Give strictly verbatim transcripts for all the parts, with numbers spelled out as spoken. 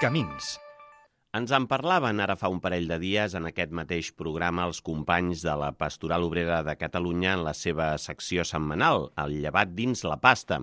Camins. Ens en parlaven ara fa un parell de dies en aquest mateix programa els companys de la Pastoral Obrera de Catalunya en la seva secció setmanal, el llevat dins la pasta.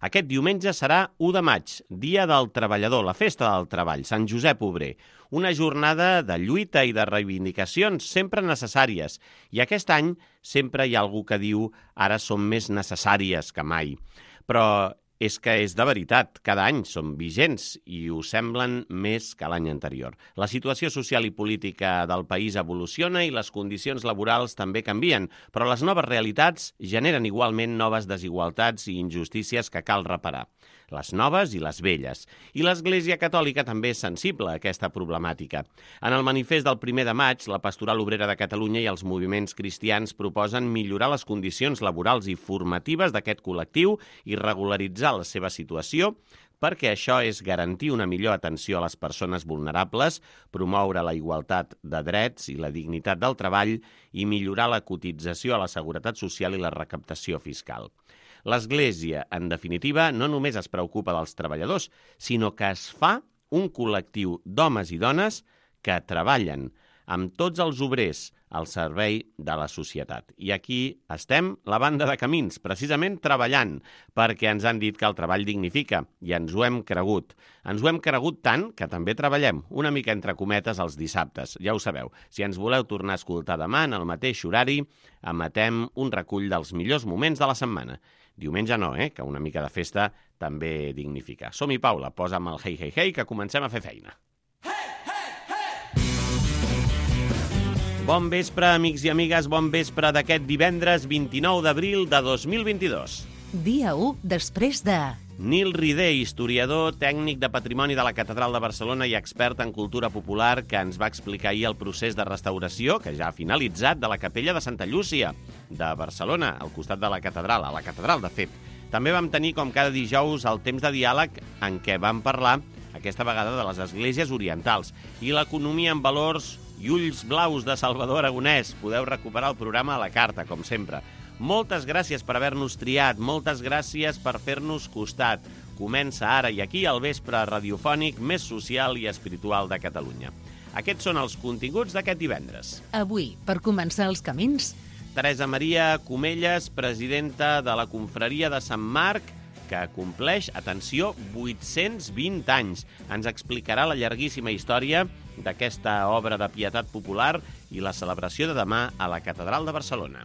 Aquest diumenge serà u de maig, Dia del Treballador, la Festa del Treball, Sant Josep Obrer. Una jornada de lluita i de reivindicacions sempre necessàries. I aquest any sempre hi ha algú que diu ara són més necessàries que mai. Però és que és de veritat, cada any són vigents i ho semblen més que l'any anterior. La situació social i política del país evoluciona i les condicions laborals també canvien, però les noves realitats generen igualment noves desigualtats i injustícies que cal reparar. Les noves i les velles. I l'Església Catòlica també és sensible a aquesta problemàtica. En el manifest del primer de maig, la Pastoral Obrera de Catalunya i els moviments cristians proposen millorar les condicions laborals i formatives d'aquest col·lectiu i regularitzar la seva situació, perquè això és garantir una millor atenció a les persones vulnerables, promoure la igualtat de drets i la dignitat del treball i millorar la cotització a la seguretat social i la recaptació fiscal. L'Església, en definitiva, no només es preocupa dels treballadors, sinó que es fa un col·lectiu d'homes i dones que treballen amb tots els obrers al servei de la societat. I aquí estem, la banda de Camins, precisament treballant, perquè ens han dit que el treball dignifica, i ens ho hem cregut. Ens ho hem cregut tant que també treballem, una mica entre cometes, els dissabtes. Ja ho sabeu, si ens voleu tornar a escoltar demà en el mateix horari, emetem un recull dels millors moments de la setmana. Diumenge no, eh? Que una mica de festa també dignifica. Som-hi, Paula, posa'm el hey, hey, hey, que comencem a fer feina. Hey, hey, hey! Bon vespre, amics i amigues, bon vespre d'aquest divendres vint-i-nou d'abril de dos mil vint-i-dos. Dia u després de... Nil Rider, historiador, tècnic de patrimoni de la Catedral de Barcelona i expert en cultura popular, que ens va explicar ahir el procés de restauració, que ja ha finalitzat, de la capella de Santa Llúcia, de Barcelona, al costat de la catedral, a la catedral, de fet. També vam tenir, com cada dijous, el temps de diàleg en què vam parlar, aquesta vegada, de les esglésies orientals i l'economia en valors i ulls blaus de Salvador Aragonès. Podeu recuperar el programa a la carta, com sempre. Moltes gràcies per haver-nos triat, moltes gràcies per fer-nos costat. Comença ara i aquí el vespre radiofònic més social i espiritual de Catalunya. Aquests són els continguts d'aquest divendres. Avui, per començar els camins... Teresa Maria Comelles, presidenta de la Confraria de Sant Marc, que compleix, atenció, vuit-cents vint anys. Ens explicarà la llarguíssima història d'aquesta obra de pietat popular i la celebració de demà a la Catedral de Barcelona.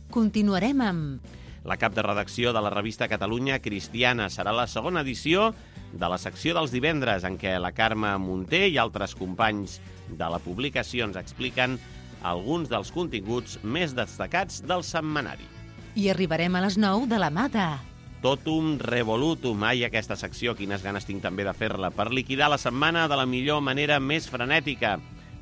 Continuarem amb... La cap de redacció de la revista Catalunya Cristiana serà la segona edició de la secció dels divendres, en què la Carme Munté i altres companys de la publicació ens expliquen alguns dels continguts més destacats del setmanari. I arribarem a les nou de la mà de... Totum revolutum. Ai, aquesta secció, quines ganes tinc també de fer-la, per liquidar la setmana de la millor manera més frenètica.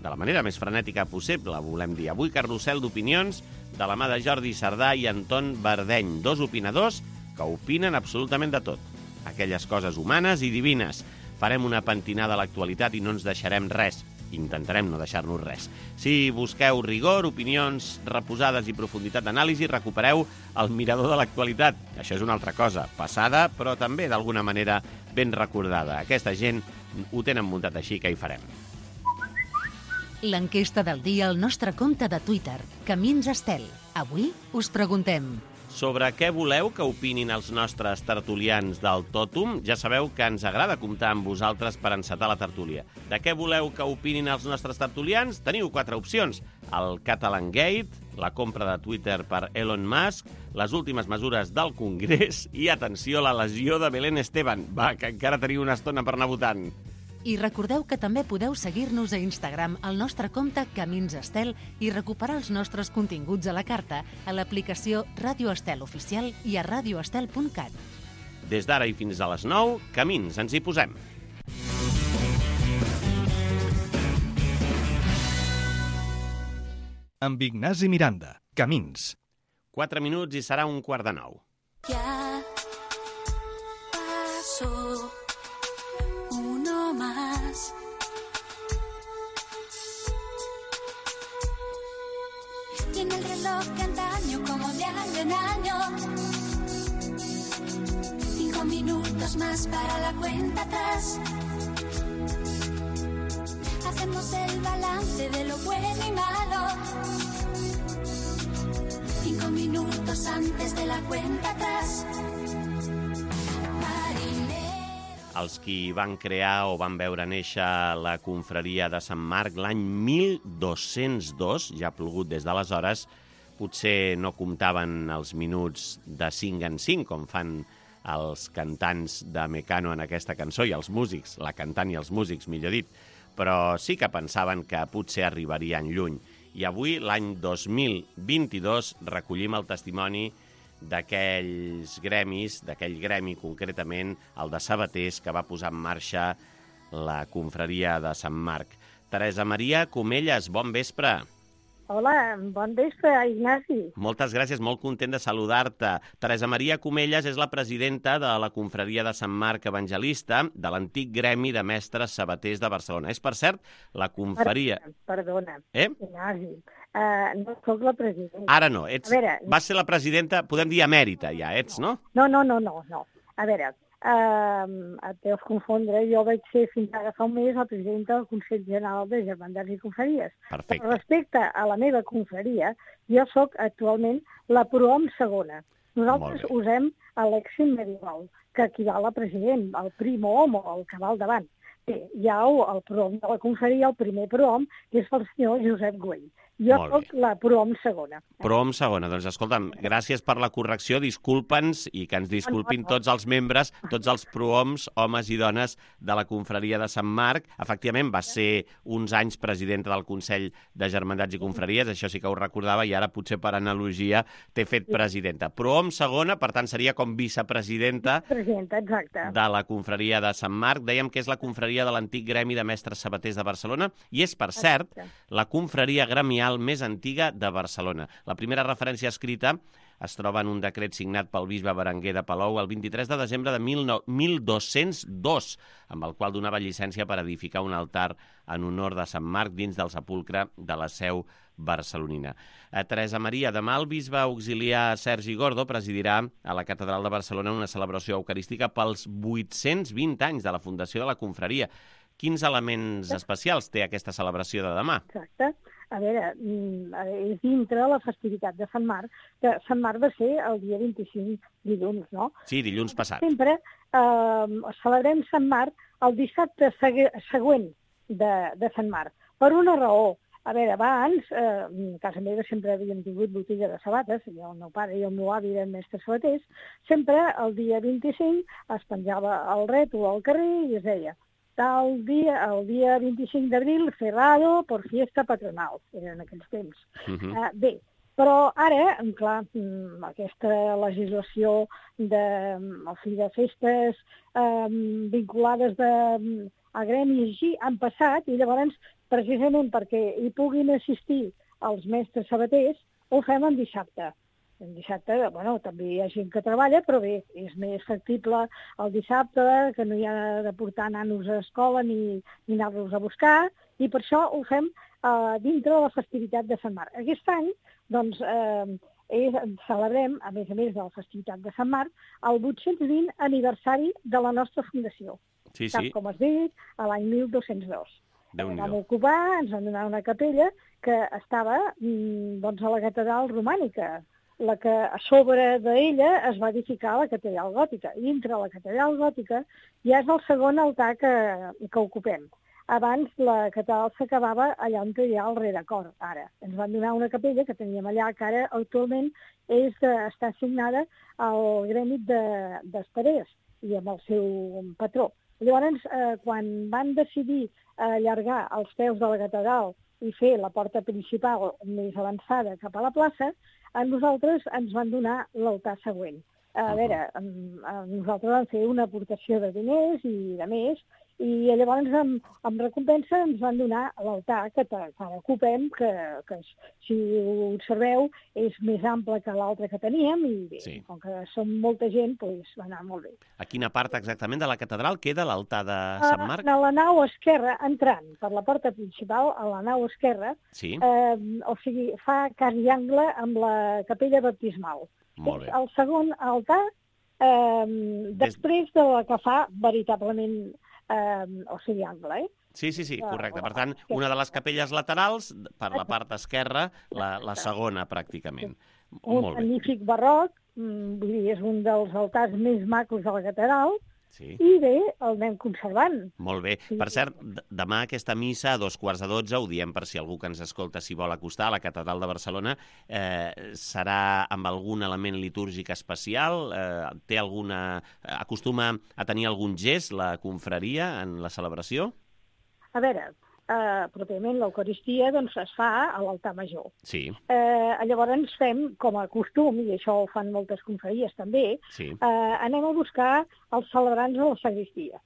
De la manera més frenètica possible, volem dir. Avui carrusel d'opinions de la mà de Jordi Sardà i Anton Verdeny, dos opinadors que opinen absolutament de tot. Aquelles coses humanes i divines. Farem una pentinada a l'actualitat i no ens deixarem res. Intentarem no deixar-nos res. Si busqueu rigor, opinions reposades i profunditat d'anàlisi, recupereu el mirador de l'actualitat. Això és una altra cosa, passada, però també d'alguna manera ben recordada. Aquesta gent ho tenen muntat així, que hi farem. L'enquesta del dia al nostre compte de Twitter, Camins Estel. Avui us preguntem... Sobre què voleu que opinin els nostres tertulians del Tòtum? Ja sabeu que ens agrada comptar amb vosaltres per encetar la tertúlia. De què voleu que opinin els nostres tertulians? Teniu quatre opcions. El Catalan Gate, la compra de Twitter per Elon Musk, les últimes mesures del Congrés i, atenció, la lesió de Belén Esteban. Va, que encara teniu una estona per anar votant. I recordeu que també podeu seguir-nos a Instagram al nostre compte Camins Estel i recuperar els nostres continguts a la carta a l'aplicació Ràdio Estel Oficial i a radioestel punt cat. Des d'ara i fins a les nou, Camins, ens hi posem. Amb Ignasi Miranda, Camins. Quatre minuts i serà un quart de nou. Ya pasó uno más. Tiene el reloj de antaño como de año en año. Cinco minutos más para la cuenta atrás. hacemos el balance de lo bueno y malo. Cinco minutos antes de la cuenta atrás. Els qui van crear o van veure néixer la confraria de Sant Marc l'any mil dos-cents dos, ja ha plogut des d'aleshores, potser no comptaven els minuts de cinc en cinc, com fan els cantants de Mecano en aquesta cançó, i els músics, la cantant i els músics, millor dit, però sí que pensaven que potser arribarien lluny. I avui, l'any dos mil vint-i-dos, recollim el testimoni d'aquells gremis, d'aquell gremi concretament, el de sabaters, que va posar en marxa la confraria de Sant Marc. Teresa Maria Comelles, bon vespre. Hola, bon vespre, Ignasi. Moltes gràcies, molt content de saludar-te. Teresa Maria Comelles és la presidenta de la confraria de Sant Marc Evangelista, de l'antic gremi de mestres sabaters de Barcelona. És, per cert, la confraria... Perdona, eh? Ignasi, uh, no sóc la presidenta. Ara no, ets... A veure... vas ser la presidenta, podem dir emèrita ja, ets, no? No, no, no, no, no. A veure, uh, et deus confondre, jo vaig ser fins ara fa un mes la presidenta del Consell General de Germandats i Confraries. Perfecte. Respecte a la meva confraria, jo sóc actualment la prohom segona. Nosaltres usem l'èxim medieval, que equival a president, el primo hom o el que va al davant. Bé, hi ha el prohom de la confraria, el primer prohom, que és el senyor Josep Güell. Jo soc la prohom segona. Prohom segona. Doncs escolta'm, gràcies per la correcció, disculpa'ns i que ens disculpin tots els membres, tots els prohoms, homes i dones de la confraria de Sant Marc. Efectivament, va ser uns anys presidenta del Consell de Germandats i Confraries, això sí que ho recordava, i ara potser per analogia t'he fet presidenta. Prohom segona, per tant, seria com vicepresidenta Presidenta, exacte. de la confraria de Sant Marc. Dèiem que és la confraria de l'antic gremi de mestres sabaters de Barcelona i és, per cert, la confraria gremial més antiga de Barcelona. La primera referència escrita es troba en un decret signat pel bisbe Berenguer de Palou el vint-i-tres de desembre de mil dos-cents dos, amb el qual donava llicència per edificar un altar en honor de Sant Marc dins del sepulcre de la seu barcelonina. A Teresa Maria, demà el bisbe auxiliar Sergi Gordo presidirà a la Catedral de Barcelona una celebració eucarística pels vuit-cents vint anys de la fundació de la confraria. Quins elements especials té aquesta celebració de demà? Exacte. A veure, és dintre la festivitat de Sant Marc, que Sant Marc va ser el dia vint-i-cinc, dilluns, no? Sí, dilluns passat. Sempre eh, celebrem Sant Marc el dissabte següent de, de Sant Marc, per una raó. A veure, abans, eh, a casa meva sempre havíem tingut botiga de sabates, el meu pare i el meu avi eren mestres sabaters, sempre el dia vint-i-cinc es penjava el rètol al carrer i es deia tal dia, el dia vint-i-cinc d'abril, cerrado por fiesta patronal, eren aquells temps. Uh-huh. uh, bé, però ara, clar, aquesta legislació de, o sigui, de festes um, vinculades de, a gremis així han passat i llavors, precisament perquè hi puguin assistir els mestres sabaters, ho fem en dissabte. En dissabte, bueno, també hi ha gent que treballa, però bé, és més factible el dissabte, que no hi ha de portar nanos a escola ni, ni anar-los a buscar, i per això ho fem eh, dintre de la festivitat de Sant Marc. Aquest any, doncs, eh, és, celebrem, a més a més de la festivitat de Sant Marc, el vuit-cents vint aniversari de la nostra fundació. Sí, sí. Tal com es dit, a l'any mil dos-cents dos. Déu-n'hi-do. Vam ocupar, ens van donar una capella que estava doncs, a la catedral romànica, la que a sobre d'ella es va edificar la catedral gòtica. I dintre la catedral gòtica ja és el segon altar que, que ocupem. Abans la catedral s'acabava allà on hi ha el rerecor, ara. Ens van donar una capella que teníem allà, que ara actualment és de, està assignada al gremi d'Estarés i amb el seu patró. Llavors, eh, quan van decidir allargar els peus de la catedral i fer la porta principal més avançada cap a la plaça, a nosaltres ens van donar l'altar següent. A veure, nosaltres vam fer una aportació de diners i de més, i llavors en, en recompensa ens van donar l'altar que, que ara ocupem, que, que si ho observeu és més ample que l'altre que teníem, i bé, sí. Com que som molta gent, doncs va anar molt bé. A quina part exactament de la catedral queda l'altar de Sant Marc? A la nau esquerra, entrant per la porta principal, a la nau esquerra, sí. eh, o sigui, fa cas i angle amb la capella baptismal. Molt bé. És el segon altar eh, després de la que fa veritablement eh, o sigui, angle, eh? Sí, sí, sí, correcte. Per tant, una de les capelles laterals, per la part esquerra, la, la segona, pràcticament. Un Molt bé. magnífic barroc, mm, vull dir, és un dels altars més macos de la catedral, Sí. i bé, el anem conservant. Molt bé. Sí. Per cert, d- demà aquesta missa a dos quarts de dotze, ho diem per si algú que ens escolta s'hi vol acostar, a la Catedral de Barcelona, eh, serà amb algun element litúrgic especial? Eh, té alguna... Acostuma a tenir algun gest la confraria en la celebració? A veure, eh, pròpiament l'Eucaristia doncs, es fa a l'altar major. Sí, Eh, llavors ens fem, com a costum, i això ho fan moltes confraries també, sí. eh, anem a buscar els celebrants a la sagristia.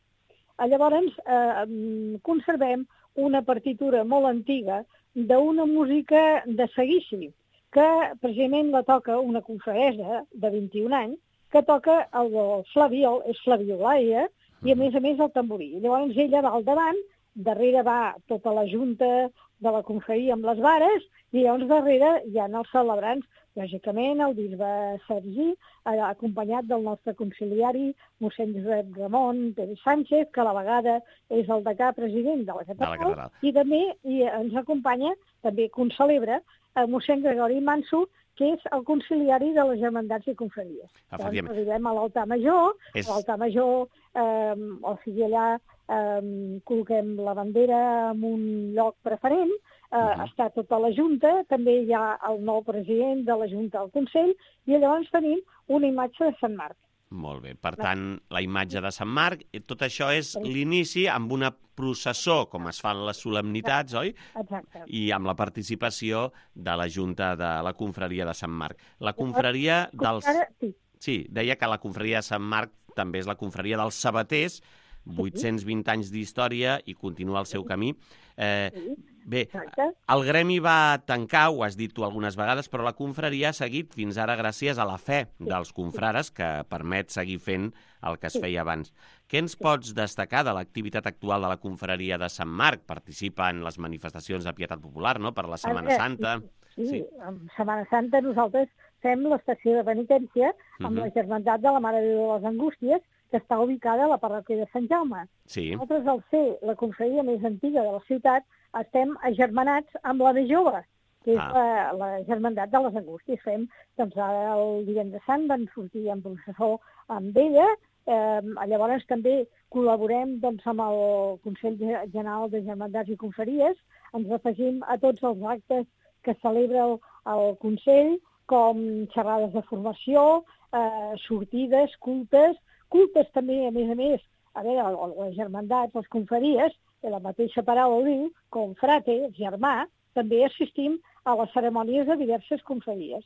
Eh, llavors eh, mm, conservem una partitura molt antiga d'una música de seguici, que precisament la toca una confreresa de vint-i-un anys, que toca el del flaviol, és flaviolaia, i a més a més el tamborí. Llavors ella va al davant, darrere va tota la junta de la confraria amb les vares, i llavors darrere hi ha els celebrants, lògicament el bisbe Sergi, eh, acompanyat del nostre conciliari, mossèn Josep Ramon Pérez Sánchez, que a la vegada és el degà president de la catedral, catedral. i també i ens acompanya, també concelebra, eh, mossèn Gregori Manso, que és el conciliari de les germandats i confraries. Efectivament. Doncs arribem a l'altar major, És- a l'altar major, eh, o sigui, allà eh, col·loquem la bandera en un lloc preferent, eh, Mhm. està tota la Junta, també hi ha el nou president de la Junta del Consell, i llavors tenim una imatge de Sant Marc. Molt bé. Per tant, la imatge de Sant Marc, eh, tot això és l'inici amb una processó, com es fan les solemnitats, oi? Exacte. I amb la participació de la Junta de la Confraria de Sant Marc. La confraria dels... Ara, sí, Sí, deia que la confraria de Sant Marc també és la confraria dels sabaters, vuit-cents vint anys d'història i continua el seu camí. Eh, sí, bé, exacte. el gremi va tancar, ho has dit tu algunes vegades, però la confraria ha seguit fins ara gràcies a la fe dels confrares, que permet seguir fent el que es feia abans. Què ens pots destacar de l'activitat actual de la confraria de Sant Marc? Participa en les manifestacions de pietat popular, no?, per la Setmana Ara, Santa. Sí, sí, en Setmana Santa nosaltres fem l'estació de penitència amb Mhm. la Germandat de la Mare de Déu de les Angústies, que està ubicada a la parròquia de Sant Jaume. Sí, Nosaltres, al ser la confraria més antiga de la ciutat, estem agermanats amb la més jove, que és Ah. la, la Germandat de les Angústies. Fem, doncs ara el divendres sant van sortir en processó amb ella, eh, llavors també col·laborem doncs, amb el Consell General de Germandats i Confraries, ens afegim a tots els actes que celebra el, el Consell, com xerrades de formació, eh, sortides, cultes, cultes també, a més a més, a veure, les germandats, les confraries, que la mateixa paraula ho diu, com frate, germà, també assistim a les cerimònies de diverses confraries.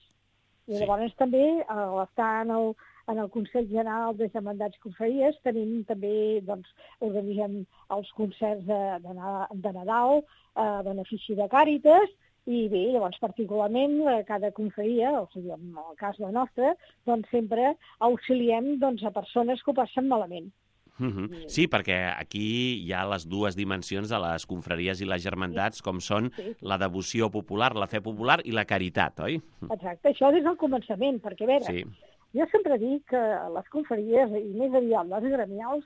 I Sí. llavors també, a l'estar en el, en el Consell General de Germandats i Confraries, tenim també, doncs, organitzem els concerts de, de, Na- de Nadal, a benefici de Càritas, i bé, llavors particularment a cada confraria, o sigui, en el cas la nostra, doncs sempre auxiliem doncs, a persones que ho passen malament. Mhm. Sí, perquè aquí hi ha les dues dimensions de les confraries i les germandats, com són Sí. la devoció popular, la fe popular i la caritat, oi? Exacte, això des del començament, perquè a veure, Sí, jo sempre dic que les confraries, i més aviat les gremials,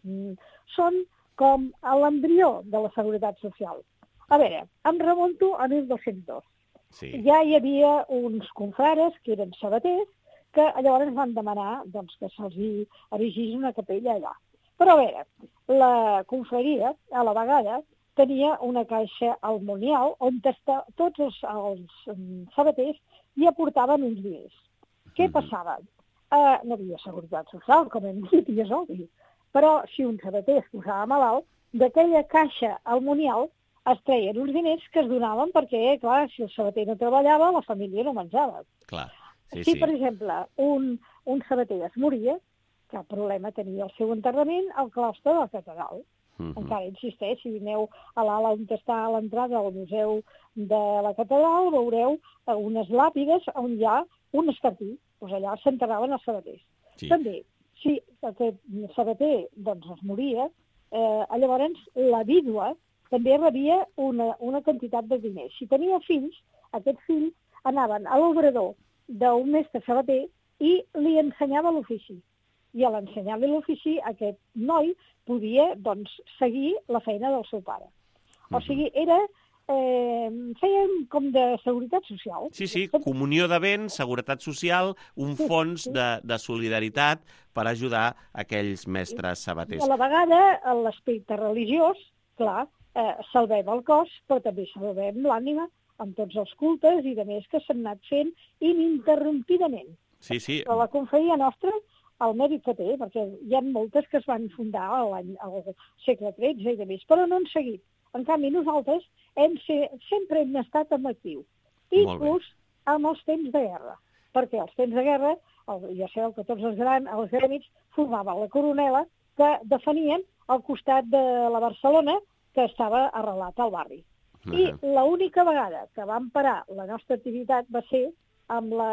mm, són com l'embrió de la seguretat social. A veure, em remunto a mil dos-cents dos. sí. Ja hi havia uns confrares que eren sabaters que llavors van demanar doncs, que se'ls hi erigís una capella allà. Però a veure, la confraria, a la vegada, tenia una caixa almonial on està, tots els, els um, sabaters hi aportaven uns diners. Què Mhm. passava? Uh, no havia seguretat social, com hem dit, i és obvi. Però si un sabater es posava malalt, d'aquella caixa almonial es treien uns diners que es donaven perquè, clar, si el sabater no treballava, la família no menjava. Clar. Sí, si, sí. per exemple, un, un sabater es moria, cap problema tenia el seu enterrament al claustre de la catedral. Mhm. Encara insisteix, si aneu a l'ala on està a l'entrada al museu de la catedral, veureu unes làpides on hi ha un escartí. Doncs allà s'enterraven els sabaters. Sí. També, si aquest sabater doncs, es moria, eh, llavors la vídua també rebia una, una quantitat de diners. Si tenia fills, aquests fills anaven a l'obrador d'un mestre sabater i li ensenyava l'ofici. i a l'ensenyar-li l'ofici aquest noi podia doncs, seguir la feina del seu pare. O sigui, era... Eh, feien com de seguretat social. Sí, sí, comunió de béns, seguretat social, un sí, fons sí. De, de solidaritat per ajudar aquells mestres sabaters. I a la vegada, en l'aspecte religiós, clar, eh, salvem el cos, però també salvem l'ànima amb tots els cultes i de més que s'han anat fent ininterrompidament. Sí, sí. Però la confraria nostra, el mèrit que té, perquè hi ha moltes que es van fundar l'any al segle tretze i de més, però no han seguit. En canvi, nosaltres hem ser, sempre hem estat en actiu, inclús amb els temps de guerra, perquè els temps de guerra, el, ja sabeu que tots els, gran, els grèmits formaven la coronela que defenien al costat de la Barcelona que estava arrelat al barri. Uh-huh. I l'única vegada que vam parar la nostra activitat va ser amb la,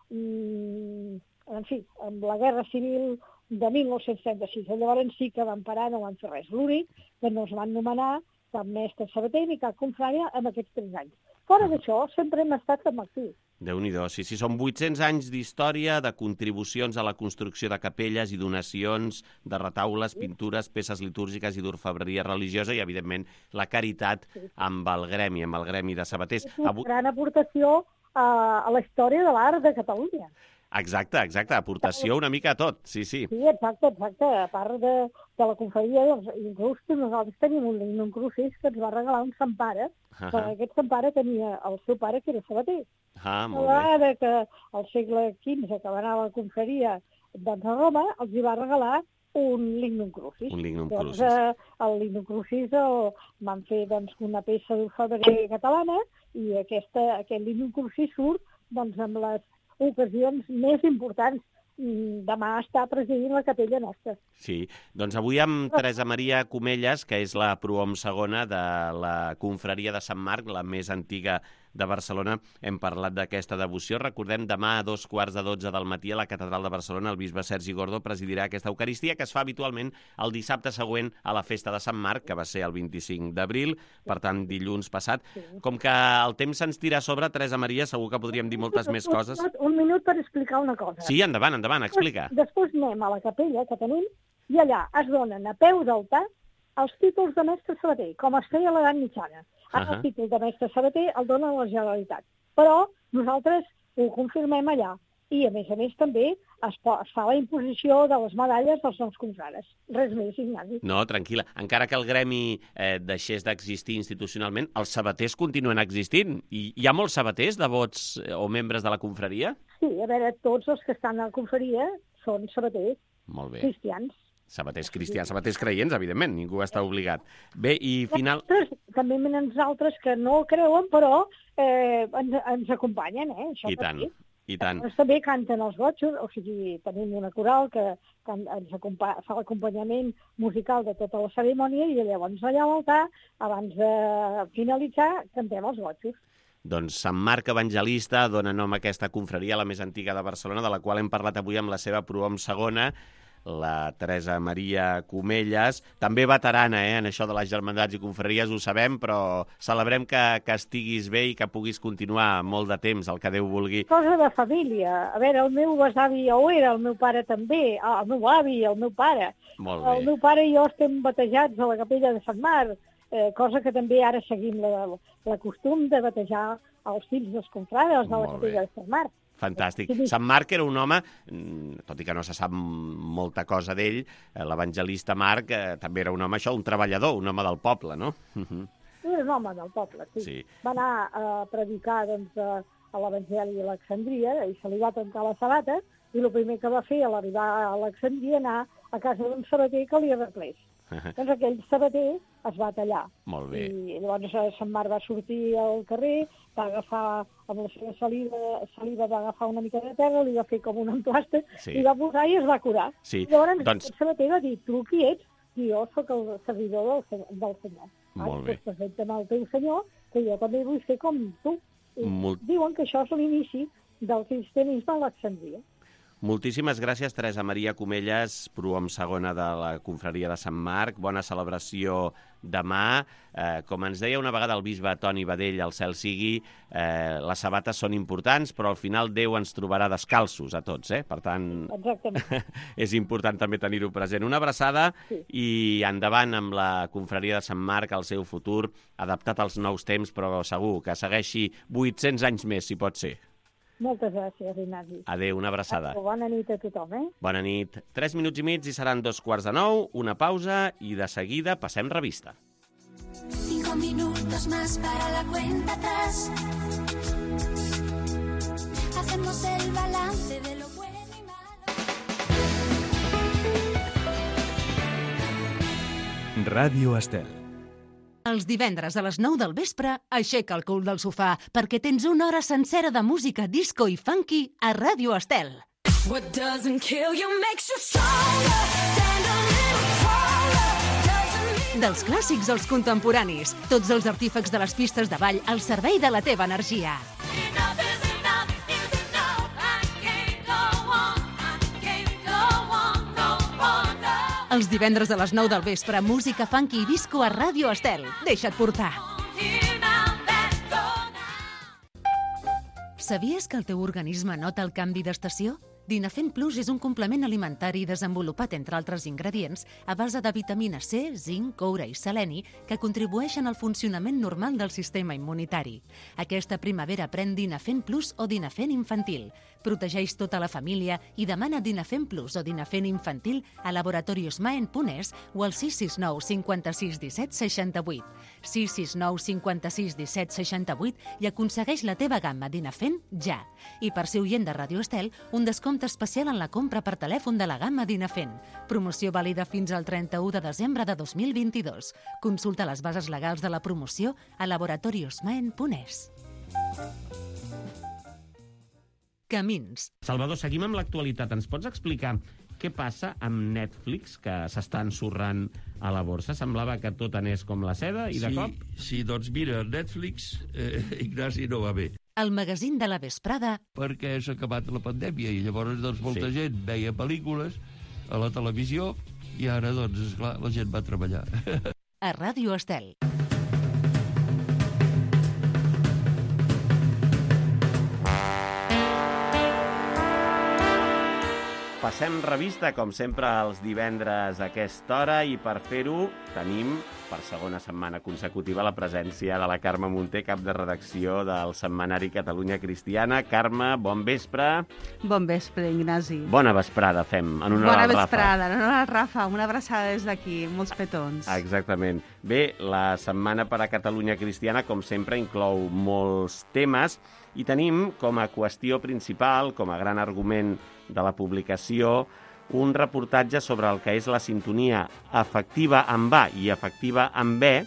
mm, en fi, amb la Guerra Civil de mil nou-cents trenta-sis. Llavors sí que vam parar, no vam fer res. L'únic que no es van nomenar cap mestre sabater ni cap confrària en aquests tres anys. Fora d'això, sempre hem estat amb actiu. Déu-n'hi-do, sí, sí, són vuit-cents anys d'història, de contribucions a la construcció de capelles i donacions, de retaules, pintures, peces litúrgiques i d'orfebreria religiosa i, evidentment, la caritat sí, sí. amb el gremi, amb el gremi de sabaters. És una Avui... gran aportació a, a la història de l'art de Catalunya. Exacte, exacte, aportació una mica a tot, sí, sí. Sí, exacte, exacte. A part de, de la confraria, doncs, inclús nosaltres tenim un lignum crucis que ens va regalar un sant Pare, uh -huh. que aquest sant Pare tenia el seu pare que era sabater. Ah, molt bé. Ara que al segle quinze, que va anar a la confraria doncs, a Roma, els hi va regalar un lignum crucis. Un lignum doncs, crucis. Eh, el lignum crucis el van fer doncs, una peça d'orfebreria catalana i aquesta, aquest lignum crucis surt doncs, amb les ocasions més importants. Demà està presidint la capella nostra. Sí, doncs avui amb Teresa Maria Comelles, que és la prohom segona de la confraria de Sant Marc, la més antiga de Barcelona, hem parlat d'aquesta devoció. Recordem, demà a dos quarts de dotze del matí a la Catedral de Barcelona el bisbe Sergi Gordó presidirà aquesta Eucaristia que es fa habitualment el dissabte següent a la festa de Sant Marc, que va ser el vint-i-cinc d'abril, per tant dilluns passat. Sí. Com que el temps se'ns tira a sobre, Teresa Maria, segur que podríem dir moltes més coses. Un minut per explicar una cosa. Sí, endavant, endavant, explica. Després, després anem a la capella que tenim i allà es donen a peu d'altar els títols de mestre sabater, com es feia a l'edat mitjana. Ara uh-huh. el títol de mestre sabater el dona la Generalitat. Però nosaltres ho confirmem allà. I, a més a més, també es, es fa la imposició de les medalles dels nous confrares. Res més, Ignasi. No, tranquil·la. Encara que el gremi eh, deixés d'existir institucionalment, els sabaters continuen existint. I hi ha molts sabaters, devots eh, o membres de la confraria? Sí, a veure, tots els que estan a la confraria són sabaters. Molt bé. Cristians. Sabaters cristians, sabaters creients, evidentment, ningú està obligat. Bé, i final... També venen altres que no creuen, però eh, ens, ens acompanyen, eh? Això I tant, i tant. Doncs també canten els gotxos, o sigui, tenim una coral que, que ens fa l'acompanyament musical de tota la cerimònia i llavors allà a l'altar, abans de finalitzar, cantem els gotxos. Doncs Sant Marc Evangelista dona nom a aquesta confraria, la més antiga de Barcelona, de la qual hem parlat avui amb la seva prohom segona, la Teresa Maria Comelles, també veterana eh, en això de les germandats i confraries, ho sabem, però celebrem que, que estiguis bé i que puguis continuar molt de temps, el que Déu vulgui. Cosa de família. A veure, el meu besavi ja ho era, el meu pare també, el meu avi, el meu pare. Molt bé. El meu pare i jo estem batejats a la capella de Sant Marc, eh, cosa que també ara seguim la, la costum de batejar els fills dels confrares de la capella de Sant Marc. Fantàstic. Sant Marc era un home, tot i que no se sap molta cosa d'ell, l'evangelista Marc eh, també era un home, això, un treballador, un home del poble, no? Era un home del poble, sí. sí. Va anar a predicar doncs, a l'Evangeli a Alexandria i se li va trencar la sabata i el primer que va fer a l'arribar a Alexandria anar a casa d'un sabater que li arreglés. Doncs aquell sabater es va tallar. Molt bé. I llavors Sant Marc va sortir al carrer, va agafar, amb la seva saliva, saliva va agafar una mica de terra, li va fer com un emplaste, sí. i va posar i es va curar. Sí. I llavors doncs... el sabater va dir, tu qui ets? I jo sóc el servidor del, del senyor. Molt bé. Doncs presenta'm el teu senyor, que jo també vull fer com tu. I Molt... diuen que això és l'inici del cristianisme a Alexandria. Moltíssimes gràcies, Teresa Maria Comelles, prohom segona de la confraria de Sant Marc. Bona celebració demà, eh, com ens deia una vegada el bisbe Toni Badell, al cel sigui, eh, les sabates són importants, però al final Déu ens trobarà descalços a tots, eh? Per tant, és important també tenir-ho present. Una abraçada sí. I endavant amb la confraria de Sant Marc, el seu futur, adaptat als nous temps, però segur que segueixi vuit-cents anys més, si pot ser. Moltes gràcies, Ignasi. Adéu, una abraçada. Bona nit a tothom, eh? Bona nit. Tres minuts i mig i seran dos quarts de nou, una pausa i de seguida passem revista. Cinco minutos más para la cuenta atrás. Hacemos el balance de lo bueno y malo. Ràdio Estel. Els divendres a les nou del vespre, aixeca el cul del sofà perquè tens una hora sencera de música disco i funky a Ràdio Estel. What doesn't kill you makes you stronger. Stand a little taller. Doesn't... Dels clàssics als contemporanis, tots els artífecs de les pistes de ball al servei de la teva energia. Enough is enough is enough. I can't go on. I can't go on no longer. Els divendres a les nou del vespre, música funky i disco a Ràdio Estel. Deixa't portar. Here now, let's go now. Sabies que el teu organisme nota el canvi d'estació? Dinafem Plus és un complement alimentari desenvolupat, entre altres ingredients, a base de vitamina C, zinc, coure i seleni, que contribueixen al funcionament normal del sistema immunitari. Aquesta primavera pren Dinafem Plus o Dinafem Infantil. Protegeix tota la família i demana Dinafem Plus o Dinafem Infantil a Laboratorios Maen Punès o al sis sis nou cinquanta-sis disset seixanta-vuit. sis sis nou cinquanta-sis disset seixanta-vuit i aconsegueix la teva gamma Dinafem ja. I per ser oient de Ràdio Estel, un descompte especial en la compra per telèfon de la gamma Dinafem. Promoció vàlida fins al trenta-u de desembre de dos mil vint-i-dos. Consulta les bases legals de la promoció a Laboratorios Maen Punès. Camins. Salvador, seguim amb l'actualitat. Ens pots explicar què passa amb Netflix, que s'està ensorrant a la borsa? Semblava que tot anés com la seda i de sí, cop... Sí, doncs mira, Netflix, eh, Ignasi, no va bé. El magazín de la vesprada. Perquè s'ha acabat la pandèmia i llavors doncs, molta Sí. gent veia pel·lícules a la televisió i ara, doncs, esclar, la gent va treballar. A Ràdio Estel. Passem revista, com sempre, els divendres a aquesta hora, i per fer-ho tenim, per segona setmana consecutiva, la presència de la Carme Munté, cap de redacció del setmanari Catalunya Cristiana. Carme, bon vespre. Bon vespre, Ignasi. Bona vesprada, fem, en honor Bona al Rafa. vesprada, en honor al Rafa. Una abraçada des d'aquí, molts petons. Exactament. Bé, la setmana per a Catalunya Cristiana, com sempre, inclou molts temes, i tenim com a qüestió principal, com a gran argument de la publicació, un reportatge sobre el que és la sintonia afectiva amb A i afectiva amb B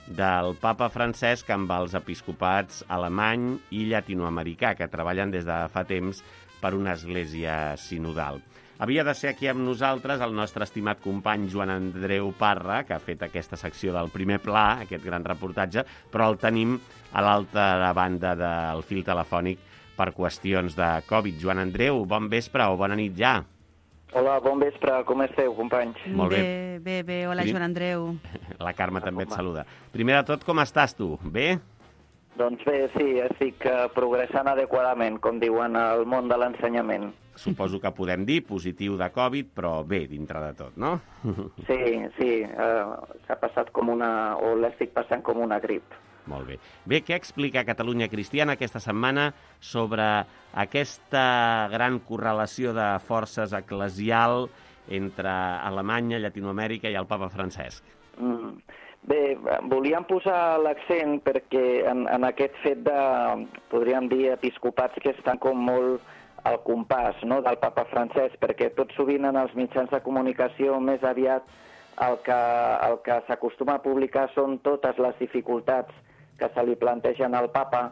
del papa Francesc amb els episcopats alemany i llatinoamericà, que treballen des de fa temps per una església sinodal. Havia de ser aquí amb nosaltres el nostre estimat company Joan Andreu Parra, que ha fet aquesta secció del primer pla, aquest gran reportatge, però el tenim a l'altra banda del fil telefònic per qüestions de Covid. Joan Andreu, bon vespre o bona nit ja. Hola, bon vespre, com esteu, companys? Molt bé. Bé, bé, bé. Hola, Joan Andreu. La Carme també et saluda. Primer de tot, com estàs tu? Bé? Doncs bé, sí, estic uh, progressant adequadament, com diuen al món de l'ensenyament. Suposo que podem dir positiu de Covid, però bé, dintre de tot, no? Sí, sí, uh, s'ha passat com una... o l'estic passant com una grip. Molt bé. Bé, què explica Catalunya Cristiana aquesta setmana sobre aquesta gran correlació de forces eclesial entre Alemanya, Llatinoamèrica i el papa Francesc? Mm. Bé, volíem posar l'accent perquè en, en aquest fet de, podríem dir, episcopats que estan com molt al compàs, no?, del papa Francesc, perquè tot sovint en els mitjans de comunicació més aviat el que, el que s'acostuma a publicar són totes les dificultats que se li plantegen al papa,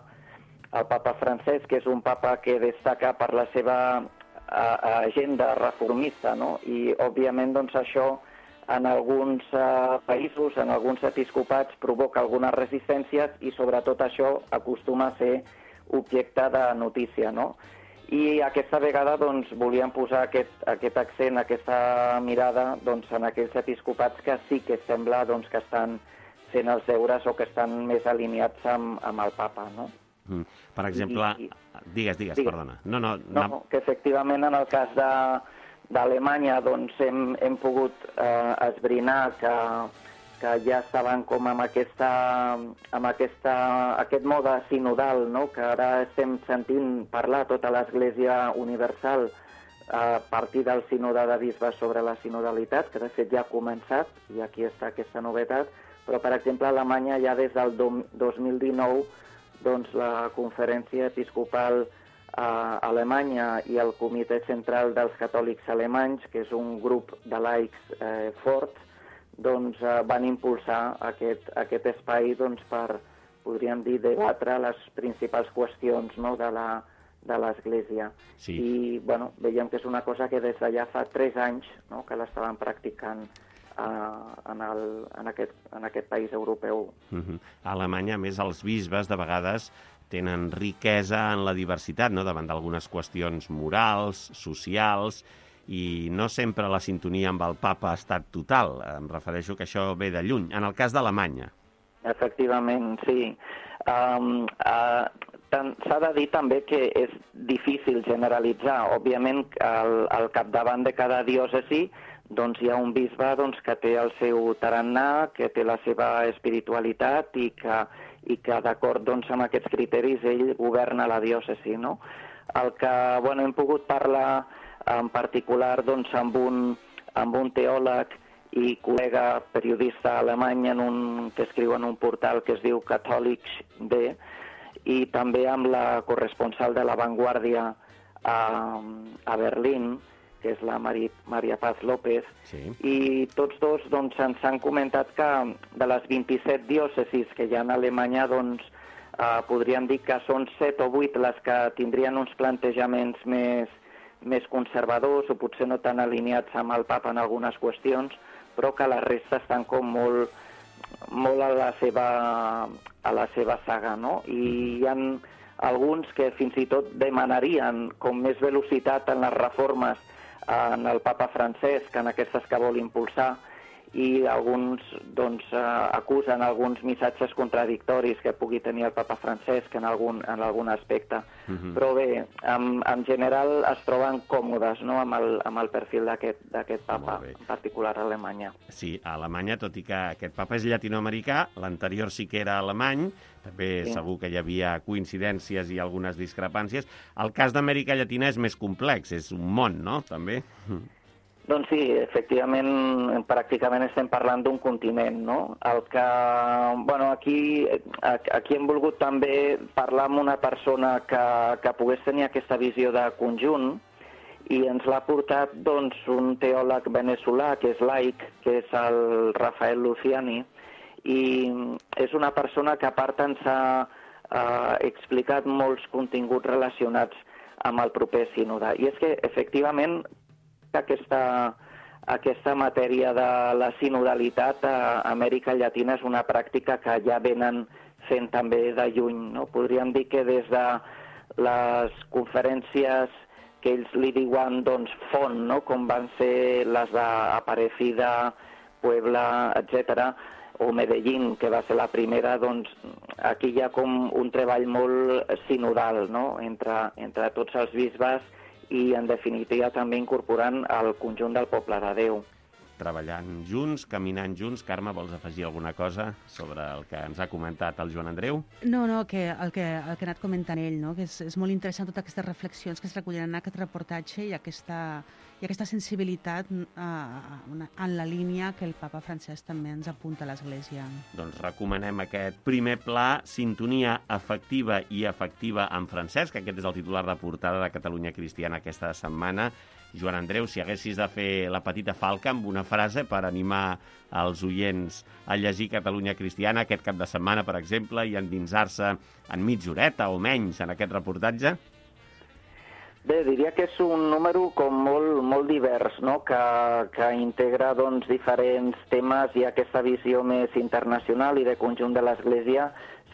el papa Francesc, que és un papa que destaca per la seva uh, agenda reformista, no? I, òbviament, doncs, això en alguns uh, països, en alguns episcopats, provoca algunes resistències i, sobretot, això acostuma a ser objecte de notícia, no? I aquesta vegada doncs, volíem posar aquest, aquest accent, aquesta mirada doncs, en aquells episcopats que sí que sembla doncs, que estan fent els deures o que estan més alineats amb, amb el papa, no? Mm. Per exemple, I, digues, digues, digues, perdona. No, no, no, que efectivament en el cas de, d'Alemanya doncs, hem, hem pogut eh, esbrinar que, que ja estaven com amb, aquesta, amb aquesta, aquest mode sinodal, no? Que ara estem sentint parlar tota l'Església Universal a partir del sínode de bisbes sobre la sinodalitat, que de fet ja ha començat, i aquí està aquesta novetat, però per exemple a Alemanya ja des del dos mil dinou doncs, la Conferència Episcopal a Alemanya i el Comitè Central dels Catòlics Alemanys, que és un grup de laics eh, forts, doncs, eh, van impulsar aquest, aquest espai doncs, per, podríem dir, debatre les principals qüestions, no?, de la de l'Església. Sí. I bueno, veiem que és una cosa que des d'allà fa tres anys, no?, que l'estaven practicant eh, en, el, en, aquest, en aquest país europeu. Uh-huh. A Alemanya, a més, els bisbes de vegades tenen riquesa en la diversitat, no?, davant d'algunes qüestions morals, socials, i no sempre la sintonia amb el papa ha estat total. Em refereixo que això ve de lluny. En el cas d'Alemanya. Efectivament, sí. Um, uh, S'ha de dir també que és difícil generalitzar. Òbviament, al, al capdavant de cada diòcesi doncs, hi ha un bisbe doncs, que té el seu tarannà, que té la seva espiritualitat i que, i que d'acord doncs, amb aquests criteris, ell governa la diòcesi. No? El que bueno, hem pogut parlar en particular doncs, amb, un, amb un teòleg i col·lega periodista alemany en un, que escriu en un portal que es diu Catholics D, i també amb la corresponsal de La Vanguardia a, a Berlín, que és la Mari, Maria Paz López, sí. I tots dos doncs, ens han comentat que de les vint-i-set diòcesis que hi ha a Alemanya, doncs, eh, podríem dir que són set o vuit les que tindrien uns plantejaments més, més conservadors o potser no tan alineats amb el papa en algunes qüestions, però que la resta estan com molt, molt a la seva, a la seva saga, no? I hi ha alguns que fins i tot demanarien com més velocitat en les reformes en el papa Francesc, en aquestes que vol impulsar, i alguns doncs, acusen alguns missatges contradictoris que pugui tenir el papa Francesc en algun, en algun aspecte. Uh-huh. Però bé, en, en general es troben còmodes, no?, amb, el, amb el perfil d'aquest papa, en particular a Alemanya. Sí, a Alemanya, tot i que aquest papa és llatinoamericà, l'anterior sí que era alemany, també sí. Segur que hi havia coincidències i algunes discrepàncies. El cas d'Amèrica Llatina és més complex, és un món, no?, també. Doncs sí, efectivament, pràcticament estem parlant d'un continent, no? El que, bueno, aquí, aquí hem volgut també parlar amb una persona que, que pogués tenir aquesta visió de conjunt i ens l'ha portat, doncs, un teòleg veneçolà que és laic, que és el Rafael Luciani, i és una persona que a part ens ha eh, explicat molts continguts relacionats amb el proper sínode. I és que, efectivament, Aquesta, aquesta matèria de la sinodalitat a Amèrica Llatina és una pràctica que ja venen fent també de lluny, no? Podríem dir que des de les conferències que ells li diuen doncs, font, no?, com van ser les d'Aparecida, Puebla, etcètera, o Medellín, que va ser la primera, doncs aquí hi ha com un treball molt sinodal, no?, entre, entre tots els bisbes i, en definitiva, també incorporant el conjunt del poble de Déu. Treballant junts, caminant junts. Carme, vols afegir alguna cosa sobre el que ens ha comentat el Joan Andreu? No, no, que el que, el que ha anat comentant ell, no? Que és, és molt interessant totes aquestes reflexions que es recullen en aquest reportatge i aquesta, i aquesta sensibilitat uh, en la línia que el papa Francesc també ens apunta a l'Església. Doncs recomanem aquest primer pla, sintonia afectiva i efectiva amb Francesc, que aquest és el titular de portada de Catalunya Cristiana aquesta setmana. Joan Andreu, si haguessis de fer la petita falca amb una frase per animar els oients a llegir Catalunya Cristiana aquest cap de setmana, per exemple, i endinsar-se en mitja horeta o menys en aquest reportatge? Bé, diria que és un número com molt, molt divers, no?, que, que integra doncs, diferents temes i aquesta visió més internacional i de conjunt de l'Església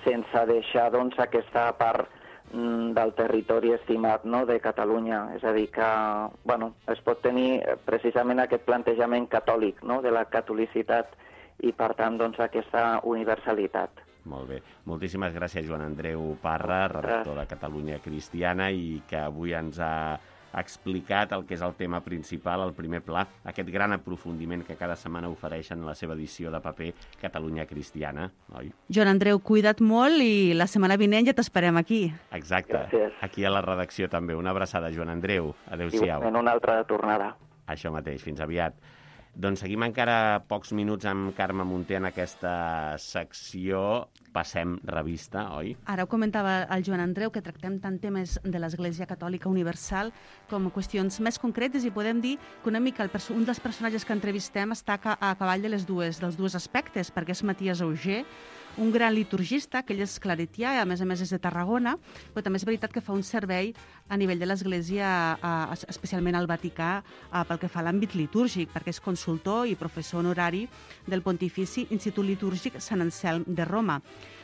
sense deixar doncs, aquesta part mm, del territori estimat, no?, de Catalunya. És a dir, que bueno, es pot tenir precisament aquest plantejament catòlic, no?, de la catolicitat i, per tant, doncs, aquesta universalitat. Molt bé. Moltíssimes gràcies, Joan Andreu Parra, redactor de Catalunya Cristiana, i que avui ens ha explicat el que és el tema principal, el primer pla, aquest gran aprofundiment que cada setmana ofereixen la seva edició de paper Catalunya Cristiana, oi? Joan Andreu, cuida't molt i la setmana vinent ja t'esperem aquí. Exacte. Gràcies. Aquí a la redacció també. Una abraçada, Joan Andreu. Adéu-siau. I en una altra tornada. Això mateix. Fins aviat. Doncs seguim encara pocs minuts amb Carme Munté en aquesta secció Passem Revista, oi? Ara ho comentava el Joan Andreu, que tractem tant temes de l'Església Catòlica Universal com qüestions més concretes, i podem dir que una mica el perso- un dels personatges que entrevistem està a, a cavall de les dues, dels dos aspectes, perquè és Matías Auger, un gran liturgista, que ell és claretià i a més a més és de Tarragona, però també és veritat que fa un servei a nivell de l'Església, eh, especialment al Vaticà, eh, pel que fa a l'àmbit litúrgic, perquè és consultor i professor honorari del Pontifici Institut Litúrgic Sant Anselm de Roma.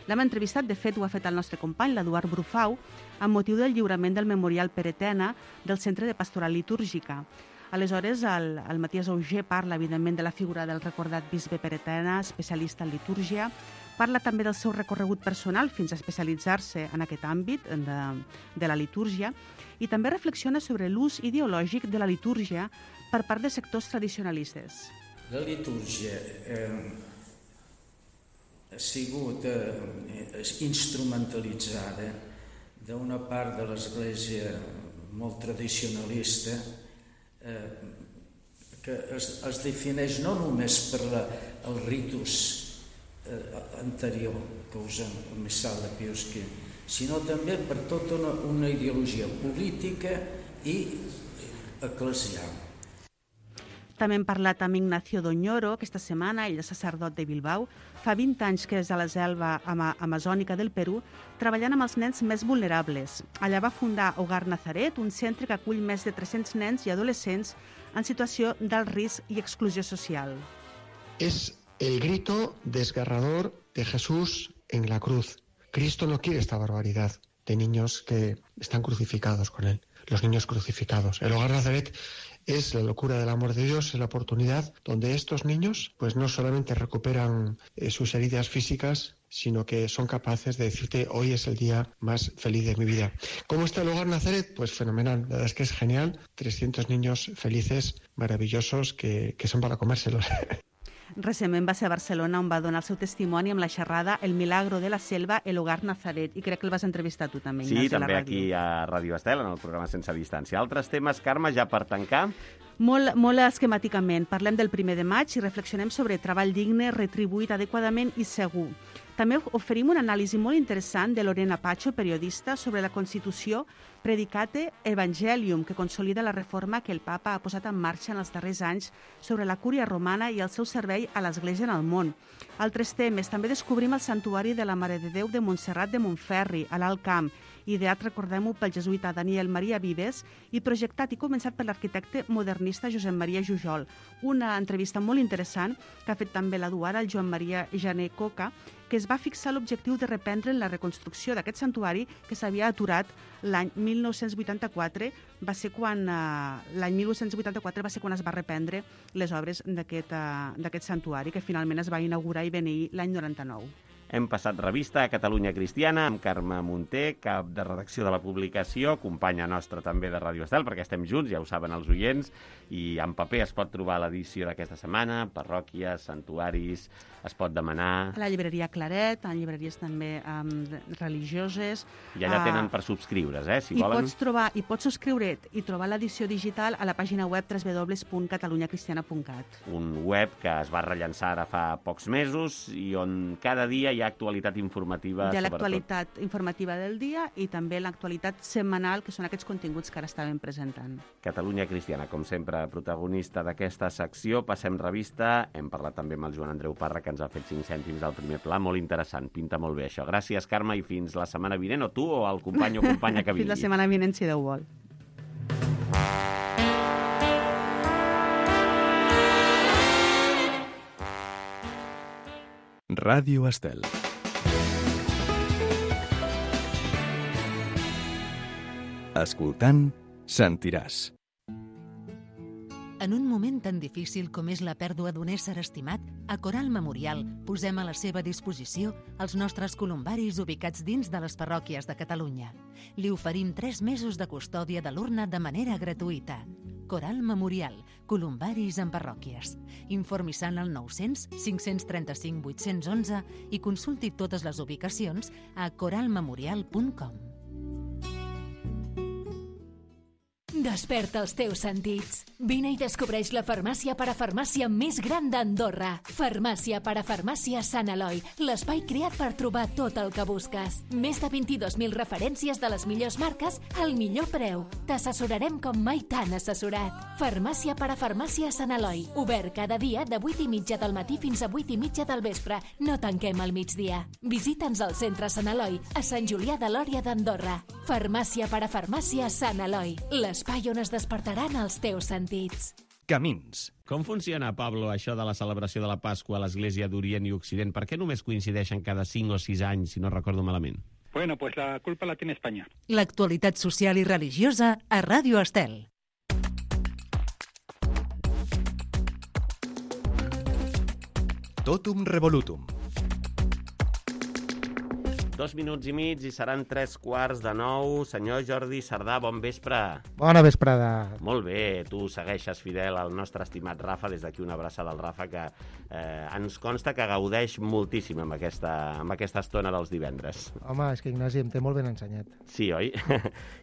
L'hem entrevistat, de fet ho ha fet el nostre company, l'Eduard Brufau, amb motiu del lliurament del Memorial Peretena del Centre de Pastoral Litúrgica. Aleshores, el, el Matías Auger parla, evidentment, de la figura del recordat bisbe Peretena, especialista en litúrgia, parla també del seu recorregut personal fins a especialitzar-se en aquest àmbit de, de la litúrgia, i també reflexiona sobre l'ús ideològic de la litúrgia per part de sectors tradicionalistes. La litúrgia eh, ha sigut eh, instrumentalitzada d'una part de l'Església molt tradicionalista, eh, que es, es defineix no només per la, el ritus eh, anterior que usen el missal de Pius quinze, sinó també per tota una, una ideologia política i eclesial. També hem parlat amb Ignacio Doñoro aquesta setmana, ell és sacerdot de Bilbao, fa vint anys que és a la selva ama amazònica del Perú, treballant amb els nens més vulnerables. Allà va fundar Hogar Nazaret, un centre que acull més de tres-cents nens i adolescents en situació d'alt risc i exclusió social. Es el grito desgarrador de Jesús en la cruz. Cristo no quiere esta barbaridad de niños que están crucificados con él, los niños crucificados. El Hogar Nazaret es la locura del amor de Dios, es la oportunidad donde estos niños pues no solamente recuperan eh, sus heridas físicas, sino que son capaces de decirte hoy es el día más feliz de mi vida. ¿Cómo está el Hogar Nazaret? Pues fenomenal, la verdad es que es genial, trescientos niños felices, maravillosos, que, que son para comérselos. Recentment va ser a Barcelona on va donar el seu testimoni amb la xerrada El milagro de la selva, el Hogar Nazaret, i crec que el vas entrevistar tu també, Sí, Ignasi, a la també ràdio. aquí a Ràdio Estel, en el programa Sense Distància. Altres temes, Carme, ja per tancar? Molt, molt esquemàticament. Parlem del primer de maig i reflexionem sobre treball digne, retribuït adequadament i segur. També oferim una anàlisi molt interessant de Lorena Pacho, periodista, sobre la Constitució Predicate Evangelium, que consolida la reforma que el papa ha posat en marxa en els darrers anys sobre la cúria romana i el seu servei a l'Església en el món. Altres temes. També descobrim el santuari de la Mare de Déu de Montserrat de Montferri, a l'Alt Camp, ideat, recordem-ho, pel jesuïta Daniel Maria Vives i projectat i començat per l'arquitecte modernista Josep Maria Jujol. Una entrevista molt interessant que ha fet també l'Eduard al Joan Maria Jané Coca, que es va fixar l'objectiu de reprendre la reconstrucció d'aquest santuari que s'havia aturat l'any mil nou-cents vuitanta-quatre, va ser quan eh, l'any mil nou-cents vuitanta-quatre va ser quan es va reprendre les obres d'aquest eh, d'aquest santuari, que finalment es va inaugurar i beneir l'any noranta-nou. Hem passat revista a Catalunya Cristiana amb Carme Munté, cap de redacció de la publicació, companya nostra també de Ràdio Estel, perquè estem junts, ja ho saben els oients, i en paper es pot trobar l'edició d'aquesta setmana, parròquies, santuaris, es pot demanar... A la llibreria Claret, en llibreries també um, religioses... I allà tenen per subscriure's, eh, si I volen. pots trobar, i pots subscriure't i trobar l'edició digital a la pàgina web w w w punt catalunya cristiana punt cat. Un web que es va rellançar ara fa pocs mesos i on cada dia hi ha actualitat informativa. De sobretot. l'actualitat informativa del dia i també l'actualitat setmanal, que són aquests continguts que ara estàvem presentant. Catalunya Cristiana, com sempre, protagonista d'aquesta secció. Passem revista. Hem parlat també amb el Joan Andreu Parra, que ens ha fet cinc cèntims al primer pla. Molt interessant, pinta molt bé això. Gràcies, Carme, i fins la setmana vinent, o tu o el company o companya que vingui. Fins la setmana vinent, si Déu vol. Ràdio Estel. Escoltant, sentiràs. En un moment tan difícil com és la pèrdua d'un ésser estimat, a Coral Memorial posem a la seva disposició els nostres columbaris ubicats dins de les parròquies de Catalunya. Li oferim tres mesos de custòdia de l'urna de manera gratuïta. Coral Memorial, columbaris en parròquies. Informi-se al nou zero zero, cinc tres cinc, vuit un un i consulti totes les ubicacions a coral memorial punt com. Desperta els teus sentits. Vine i descobreix la farmàcia parafarmàcia més gran d'Andorra. Farmàcia parafarmàcia Sant Eloi, l'espai creat per trobar tot el que busques. Més de vint-i-dos mil referències de les millors marques al millor preu. T'assessorarem com mai t'han assessorat. Farmàcia parafarmàcia Sant Eloi, obert cada dia de vuit i mitja del matí fins a vuit i mitja del vespre. No tanquem al migdia. Visita'ns al centre Sant Eloi, a Sant Julià de Lòria d'Andorra. Farmàcia parafarmàcia Sant Eloi, l'espai on es despertaran els teus sentits. Camins. Com funciona, Pablo, això de la celebració de la Pasqua a l'Església d'Orient i Occident? Per què només coincideixen cada cinc o sis anys, si no recordo malament? Bueno, pues la culpa la tiene España. L'actualitat social i religiosa a Ràdio Estel. Totum revolutum. Dos minuts i mig i seran tres quarts de nou. Senyor Jordi Sardà, bon vespre. Bona vesprada. Molt bé, tu segueixes fidel al nostre estimat Rafa, des d'aquí una abraçada al Rafa, que eh, ens consta que gaudeix moltíssim amb aquesta, amb aquesta estona dels divendres. Home, és que Ignasi em té molt ben ensenyat. Sí, oi?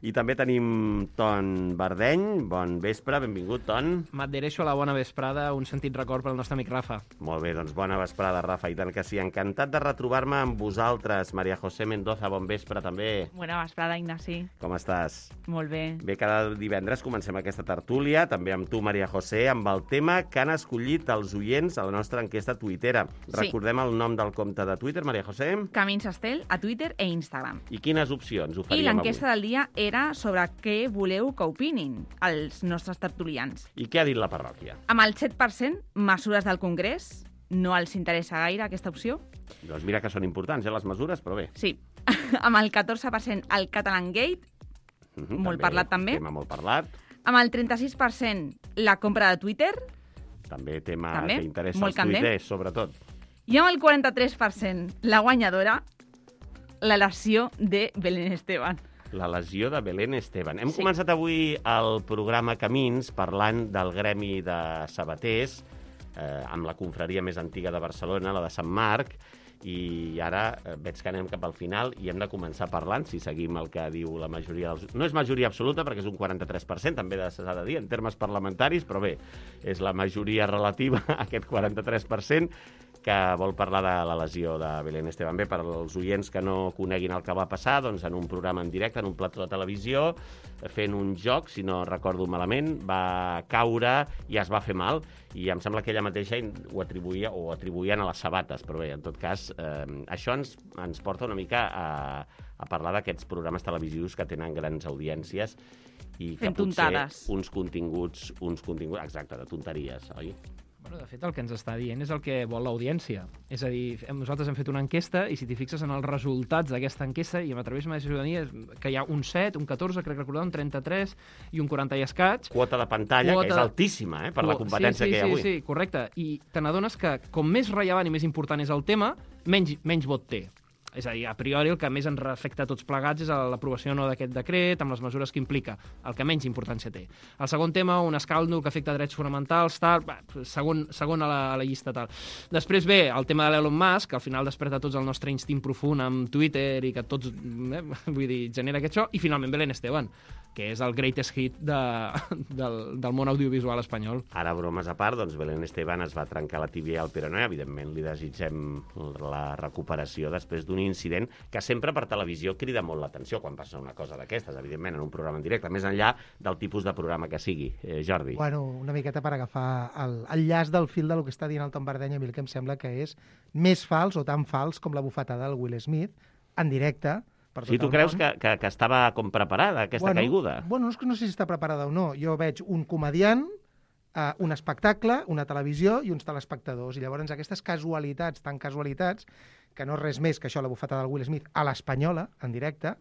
I també tenim Ton Bardeny. Bon vespre, benvingut, Ton. M'adhereixo a la bona vesprada, un sentit record pel nostre amic Rafa. Molt bé, doncs bona vesprada, Rafa, i tant que sí. Encantat de retrobar-me amb vosaltres, Maria José Mendoza, bon vespre també. Bona vesprada, Ignasi. Com estàs? Molt bé. Bé, cada divendres comencem aquesta tertúlia, també amb tu, Maria José, amb el tema que han escollit els oients a la nostra enquesta tuitera. Sí. Recordem el nom del compte de Twitter, Maria José. Camins Estel a Twitter e Instagram. I quines opcions I oferíem l'enquesta avui? del dia era sobre què voleu que opinin els nostres tertulians. I què ha dit la parròquia? Amb el set per cent, mesures del Congrés, no els interessa gaire aquesta opció. Doncs mira que són importants, eh, les mesures, però bé. Sí. Amb el catorze per cent, el Catalan Gate, Mhm, molt parlat també. Tema molt parlat. Amb el trenta-sis per cent, la compra de Twitter. També tema També, que interessa molt als candent. tuiters, sobretot. I amb el quaranta-tres per cent, la guanyadora, la lesió de Belén Esteban. La lesió de Belén Esteban. Hem Sí. començat avui el programa Camins parlant del gremi de sabaters, eh, amb la confraria més antiga de Barcelona, la de Sant Marc, i ara eh, veig que anem cap al final i hem de començar parlant, si seguim el que diu la majoria dels... No és majoria absoluta, perquè és un quaranta-tres per cent, també s'ha de dir, en termes parlamentaris, però bé, és la majoria relativa, aquest quaranta-tres per cent, que vol parlar de la lesió de Belén Esteban. Bé, per als oients que no coneguin el que va passar, doncs en un programa en directe, en un plató de televisió, fent un joc, si no recordo malament, va caure i es va fer mal, i em sembla que ella mateixa ho atribuïa o ho atribuïen a les sabates, però bé, en tot cas, eh, això ens, ens porta una mica a, a parlar d'aquests programes televisius que tenen grans audiències i que Fent potser tontades. uns continguts, uns continguts, exacte, de tonteries, oi? Bueno, de fet, el que ens està dient és el que vol l'audiència. És a dir, hem- nosaltres hem fet una enquesta i si t'hi fixes en els resultats d'aquesta enquesta, i m'atreveixo a dir que hi ha un set, un catorze, crec recordar, un trenta-tres i un quaranta i escaig. Quota de pantalla, Quota que és de- altíssima, eh, per la Quo- competència sí, sí, que hi ha sí, avui. Sí, correcte. I te n'adones que com més rellevant i més important és el tema, menys, menys vot té. És a dir, a priori el que més ens afecta a tots plegats és l'aprovació o no d'aquest decret, amb les mesures que implica, el que menys importància té. El segon tema, un escàndol que afecta drets fonamentals, tal, va, segon, segon a, la, a la llista, tal. Després ve el tema de l'Elon Musk, que al final desperta tots el nostre instint profund amb Twitter i que tots, eh, vull dir, genera aquest això, i finalment Belén Esteban, que és el greatest hit de, del, del món audiovisual espanyol. Ara, bromes a part, doncs Belén Esteban es va trencar la tíbia al peroné. Evidentment, li desitgem la recuperació després d'un incident que sempre per televisió crida molt l'atenció quan passa una cosa d'aquestes, evidentment, en un programa en directe, més enllà del tipus de programa que sigui. Eh, Jordi. Bueno, una miqueta per agafar el, el llaç del fil de lo que està dient el Tom Bardeny, a mi el que em sembla que és més fals o tan fals com la bufetada del Will Smith, en directe, per tot Sí, tu el creus món. que, que, que estava com preparada, aquesta bueno, caiguda? Bueno, no, és que no sé si està preparada o no. Jo veig un comediant, eh, un espectacle, una televisió i uns telespectadors. I llavors aquestes casualitats, tan casualitats, que no és res més que això, la bufetada del Will Smith, a l'espanyola, en directe,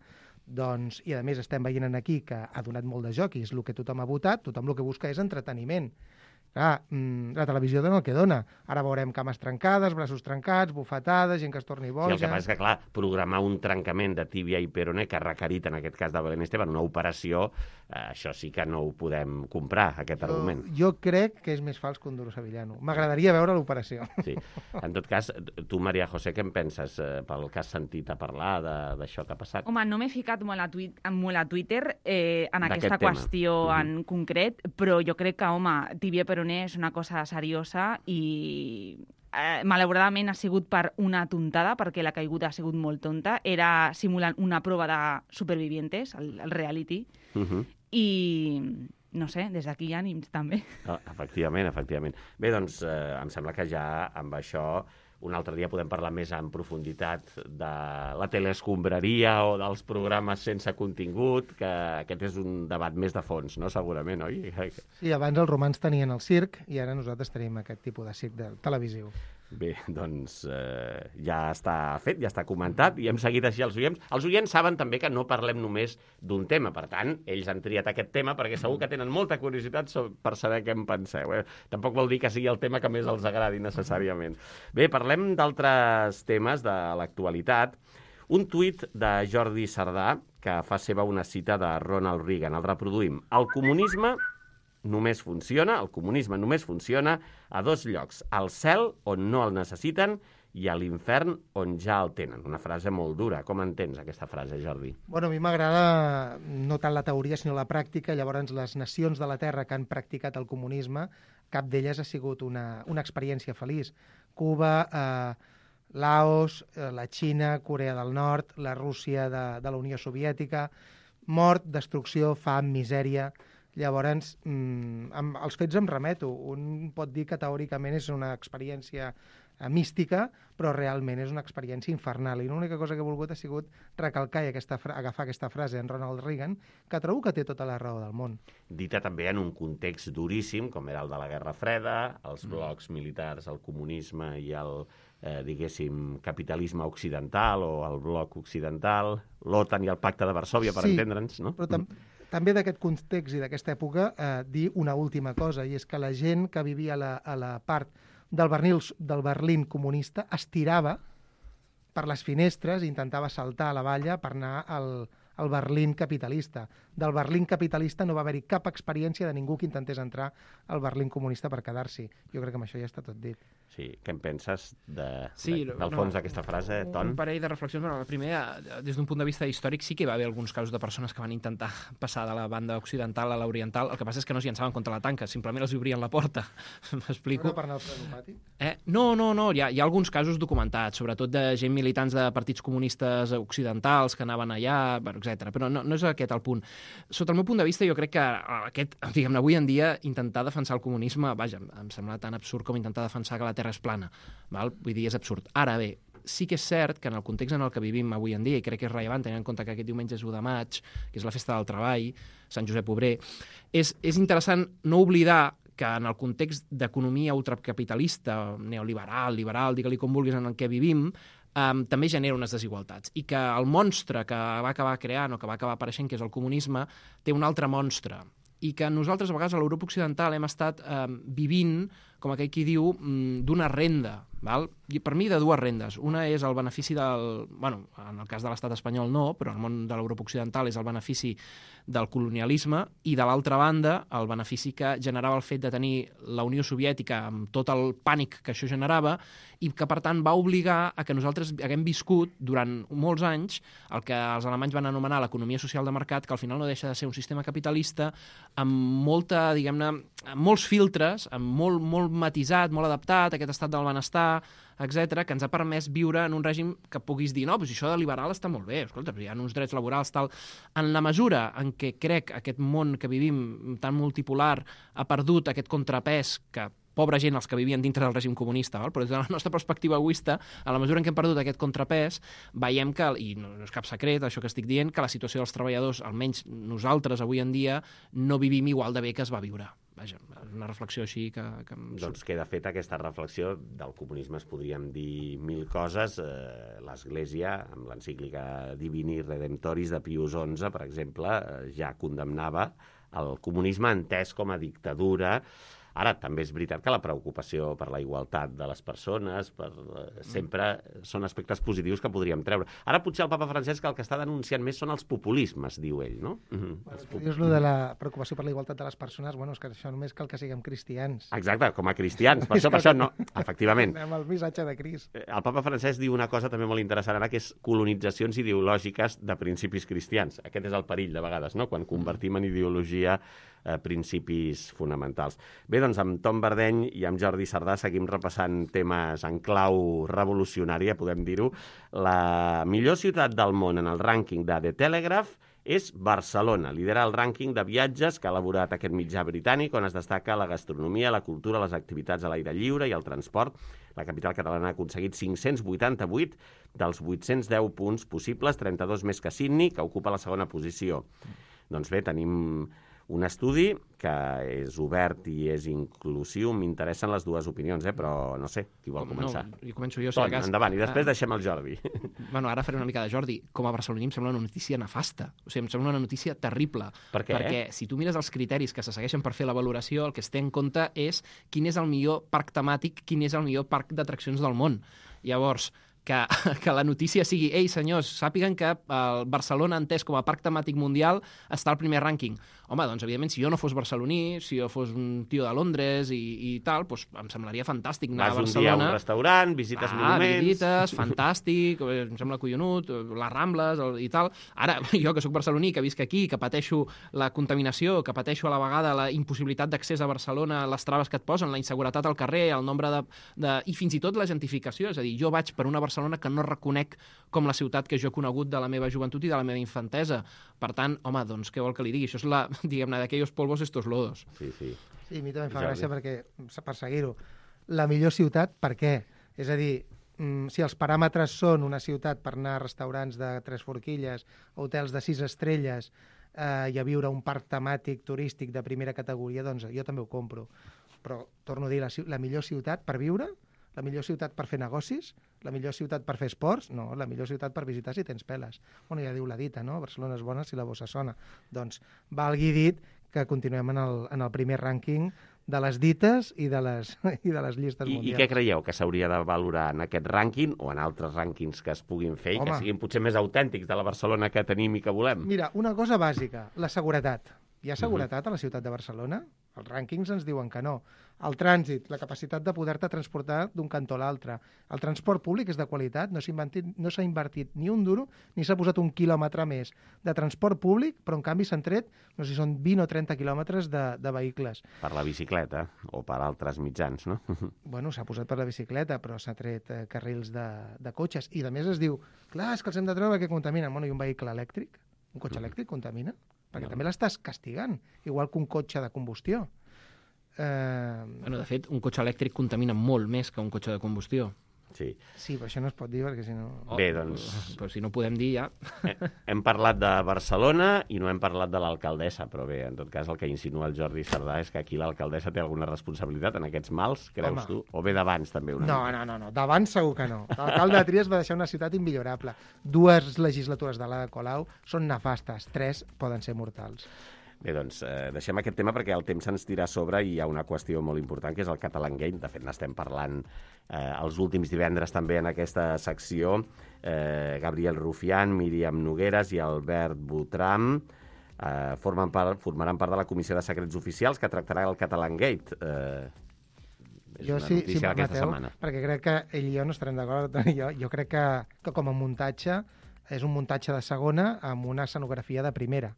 Doncs, i a més estem veient aquí que ha donat molt de joc i és el que tothom ha votat, tothom el que busca és entreteniment. Clar, la televisió dona el que dona. Ara veurem cames trencades, braços trencats, bufetades, gent que es torni boja... Sí, el que passa és que, clar, programar un trencament de tíbia i peroné que ha requerit, en aquest cas de Belén Esteban, una operació, eh, això sí que no ho podem comprar, aquest jo, argument. Jo crec que és més fals que un duro sevillano. M'agradaria veure l'operació. Sí. En tot cas, tu, Maria José, què en penses eh, pel que has sentit a parlar d'això que ha passat? Home, no m'he ficat molt a, tuit, molt a Twitter eh, en aquesta tema. qüestió Mhm. en concret, però jo crec que, home, tíbia peroné és una cosa seriosa i eh, malauradament ha sigut per una tontada, perquè la caiguda ha sigut molt tonta. Era simulant una prova de Supervivientes, el, el reality, Uh -huh. i no sé, des d'aquí hi ha ànims també. Ah, efectivament, efectivament. Bé, doncs, eh, em sembla que ja amb això un altre dia podem parlar més en profunditat de la teleescombraria o dels programes sense contingut, que aquest és un debat més de fons, no? Segurament, oi? Sí, abans els romans tenien el circ i ara nosaltres tenim aquest tipus de circ de televisiu. Bé, doncs eh, ja està fet, ja està comentat, i hem seguit així els oients. Els oients saben també que no parlem només d'un tema, per tant, ells han triat aquest tema perquè segur que tenen molta curiositat per saber què en penseu. Eh? Tampoc vol dir que sigui el tema que més els agradi necessàriament. Bé, parlem d'altres temes de l'actualitat. Un tuit de Jordi Sardà que fa seva una cita de Ronald Reagan. El reproduïm. El comunisme només funciona, el comunisme només funciona a dos llocs, al cel, on no el necessiten, i a l'infern, on ja el tenen. Una frase molt dura. Com entens aquesta frase, Jordi? Bueno, a mi m'agrada no tant la teoria, sinó la pràctica. Llavors, les nacions de la Terra que han practicat el comunisme, cap d'elles ha sigut una, una experiència feliç. Cuba, eh, Laos, eh, la Xina, Corea del Nord, la Rússia de, de la Unió Soviètica, mort, destrucció, fam, misèria... Llavors, mmm, amb els fets em remeto. Un pot dir que teòricament és una experiència eh, mística, però realment és una experiència infernal. I l'única cosa que he volgut ha sigut recalcar i aquesta agafar aquesta frase en Ronald Reagan, que trobo que té tota la raó del món. Dita també en un context duríssim, com era el de la Guerra Freda, els blocs militars, el comunisme i el, eh, diguéssim, capitalisme occidental o el bloc occidental, l'OTAN i el Pacte de Varsòvia, per sí, entendre'ns, no? Però tam també d'aquest context i d'aquesta època eh, dir una última cosa, i és que la gent que vivia a la, a la part del Berlín, del Berlín comunista es tirava per les finestres i intentava saltar a la valla per anar al, al Berlín capitalista. Del Berlín capitalista no va haver-hi cap experiència de ningú que intentés entrar al Berlín comunista per quedar-s'hi. Jo crec que amb això ja està tot dit. Sí, què en penses de, sí, de, del fons no, d'aquesta frase, Ton? Un parell de reflexions. Bueno, la primera, des d'un punt de vista històric, sí que hi va haver alguns casos de persones que van intentar passar de la banda occidental a l'oriental. El que passa és que no s'hi llançaven contra la tanca, simplement els obrien la porta. M'explico? No per anar al frenopàtic? Eh? No, no, no. Hi ha, hi ha alguns casos documentats, sobretot de gent militants de partits comunistes occidentals que anaven allà, etcètera. Però no, no és aquest el punt. Sota el meu punt de vista, jo crec que aquest, diguem-ne, avui en dia, intentar defensar el comunisme, vaja, em sembla tan absurd com intentar defensar que la Terra és plana. Val? Vull dir, és absurd. Ara bé, sí que és cert que en el context en el que vivim avui en dia, i crec que és rellevant tenint en compte que aquest diumenge és u de maig, que és la festa del treball, Sant Josep Obrer, és, és interessant no oblidar que en el context d'economia ultracapitalista, neoliberal, liberal, digue-li com vulguis, en el que vivim, Um, també genera unes desigualtats. I que el monstre que va acabar creant o que va acabar apareixent, que és el comunisme, té un altre monstre. I que nosaltres, a vegades, a l'Europa occidental hem estat um, vivint, com aquell qui diu, um, d'una renda. Val? I per mi de dues rendes. Una és el benefici del... Bueno, en el cas de l'estat espanyol no, però en el món de l'Europa occidental és el benefici del colonialisme, i de l'altra banda el benefici que generava el fet de tenir la Unió Soviètica amb tot el pànic que això generava, i que per tant va obligar a que nosaltres haguem viscut durant molts anys el que els alemanys van anomenar l'economia social de mercat, que al final no deixa de ser un sistema capitalista amb molta, diguem-ne, amb molts filtres, amb molt, molt matisat, molt adaptat a aquest estat del benestar, etcètera, que ens ha permès viure en un règim que puguis dir, no, però si això de liberal està molt bé, escolta, hi ha uns drets laborals, tal. En la mesura en què crec aquest món que vivim tan multipolar ha perdut aquest contrapès que pobra gent els que vivien dintre del règim comunista, val? Però des de la nostra perspectiva egoista, a la mesura en què hem perdut aquest contrapès, veiem que, i no, no és cap secret això que estic dient, que la situació dels treballadors, almenys nosaltres avui en dia, no vivim igual de bé que es va viure. Vaja, una reflexió així que... que... Doncs queda feta aquesta reflexió. Del comunisme es podríem dir mil coses. Eh, L'Església, amb l'encíclica Divini Redemptoris de Pius onze, per exemple, eh, ja condemnava el comunisme entès com a dictadura. Ara, també és veritat que la preocupació per la igualtat de les persones per, eh, sempre són aspectes positius que podríem treure. Ara potser el papa Francesc el que està denunciant més són els populismes, diu ell, no? Mm-hmm. Bueno, pop... Dius lo de la preocupació per la igualtat de les persones, bueno, és que això només cal que siguem cristians. Exacte, com a cristians. Per això, per això no... Efectivament. Anem al missatge de Crist. El papa Francesc diu una cosa també molt interessant ara, que és colonitzacions ideològiques de principis cristians. Aquest és el perill, de vegades, no?, quan convertim en ideologia eh, principis fonamentals. Bé, doncs amb Tom Verdeny i amb Jordi Sardà seguim repassant temes en clau revolucionària, podem dir-ho. La millor ciutat del món en el rànquing de The Telegraph és Barcelona. Lidera el rànquing de viatges que ha elaborat aquest mitjà britànic, on es destaca la gastronomia, la cultura, les activitats a l'aire lliure i el transport. La capital catalana ha aconseguit cinc-cents vuitanta-vuit dels vuit-cents deu punts possibles, trenta-dos més que Sydney, que ocupa la segona posició. Doncs bé, tenim un estudi que és obert i és inclusiu. M'interessen les dues opinions, eh? Però no sé, qui vol començar? No, jo començo jo, si Tom, de cas. Endavant, i després Ah. deixem el Jordi. Bueno, ara faré una mica de Jordi. Com a barceloní em sembla una notícia nefasta. O sigui, em sembla una notícia terrible. Per què? Perquè si tu mires els criteris que se segueixen per fer la valoració, el que es té en compte és quin és el millor parc temàtic, quin és el millor parc d'atraccions del món. Llavors, que, que la notícia sigui ei, senyors, sàpiguen que el Barcelona, entès com a parc temàtic mundial, està al primer rànquing. Home, doncs, evidentment, si jo no fos barceloní, si jo fos un tio de Londres i, i tal, doncs em semblaria fantàstic anar Vas a Barcelona. un dia a un restaurant, visites ah, monuments... visites, fantàstic, em sembla collonut, les Rambles el, i tal. Ara, jo que sóc barceloní, que visc aquí, que pateixo la contaminació, que pateixo a la vegada la impossibilitat d'accés a Barcelona, les traves que et posen, la inseguretat al carrer, el nombre de, de... i fins i tot la gentrificació. És a dir, jo vaig per una Barcelona que no reconec com la ciutat que jo he conegut de la meva joventut i de la meva infantesa. Per tant, home, doncs, què vol que li digui? Això és la, diguem-ne, d'aquells polvos estos lodos. Sí, sí. Sí, a mi també em fa gràcia perquè, per seguir-ho, la millor ciutat, per què? És a dir, si els paràmetres són una ciutat per anar a restaurants de tres forquilles, hotels de sis estrelles eh, i a viure un parc temàtic turístic de primera categoria, doncs jo també ho compro. Però, torno a dir, la, la millor ciutat per viure, la millor ciutat per fer negocis, la millor ciutat per fer esports, no, la millor ciutat per visitar si tens peles. Bueno, ja diu la dita, no? Barcelona és bona si la bossa sona. Doncs valgui dit que continuem en el, en el primer rànquing de les dites i de les, i de les llistes I, mundials. I què creieu que s'hauria de valorar en aquest rànquing o en altres rànquings que es puguin fer i Home. que siguin potser més autèntics de la Barcelona que tenim i que volem? Mira, una cosa bàsica, la seguretat. Hi ha seguretat uh-huh. a la ciutat de Barcelona? Els rànquings ens diuen que no. El trànsit, la capacitat de poder-te transportar d'un cantó a l'altre. El transport públic és de qualitat, no s'ha invertit, no s'ha invertit ni un duro, ni s'ha posat un quilòmetre més de transport públic, però en canvi s'han tret, no sé si són vint o trenta quilòmetres de, de vehicles. Per la bicicleta o per altres mitjans, no? Bueno, s'ha posat per la bicicleta, però s'ha tret eh, carrils de, de cotxes. I a més es diu, clar, és que els hem de treure perquè contaminen. Bueno, i un vehicle elèctric? Un cotxe elèctric contamina? Perquè no. També l'estàs castigant, igual que un cotxe de combustió. Eh... Bueno, de fet, un cotxe elèctric contamina molt més que un cotxe de combustió. Sí. Sí, però això no es pot dir, perquè si no... Oh, Bé, doncs... Però si no podem dir, ja... Hem parlat de Barcelona i no hem parlat de l'alcaldessa, però bé, en tot cas, el que insinua el Jordi Sardà és que aquí l'alcaldessa té alguna responsabilitat en aquests mals, creus Home. tu? O bé d'abans, també? Una no, no, no, no, d'abans segur que no. L'alcalde de Trias va deixar una ciutat immillorable. Dues legislatures de l'Ada Colau són nefastes, tres poden ser mortals. Bé, doncs, eh, deixem aquest tema perquè el temps se'ns tira a sobre i hi ha una qüestió molt important, que és el Catalangate. De fet, n'estem parlant eh, els últims divendres també en aquesta secció. Eh, Gabriel Rufián, Míriam Nogueras i Albert Botram eh, formen part, formaran part de la Comissió de Secrets Oficials que tractarà el Catalangate. Eh, és jo una sí, notícia sí, d'aquesta Mateu, setmana. Perquè crec que ell i jo no estarem d'acord. Jo, jo crec que, que com a muntatge és un muntatge de segona amb una escenografia de primera.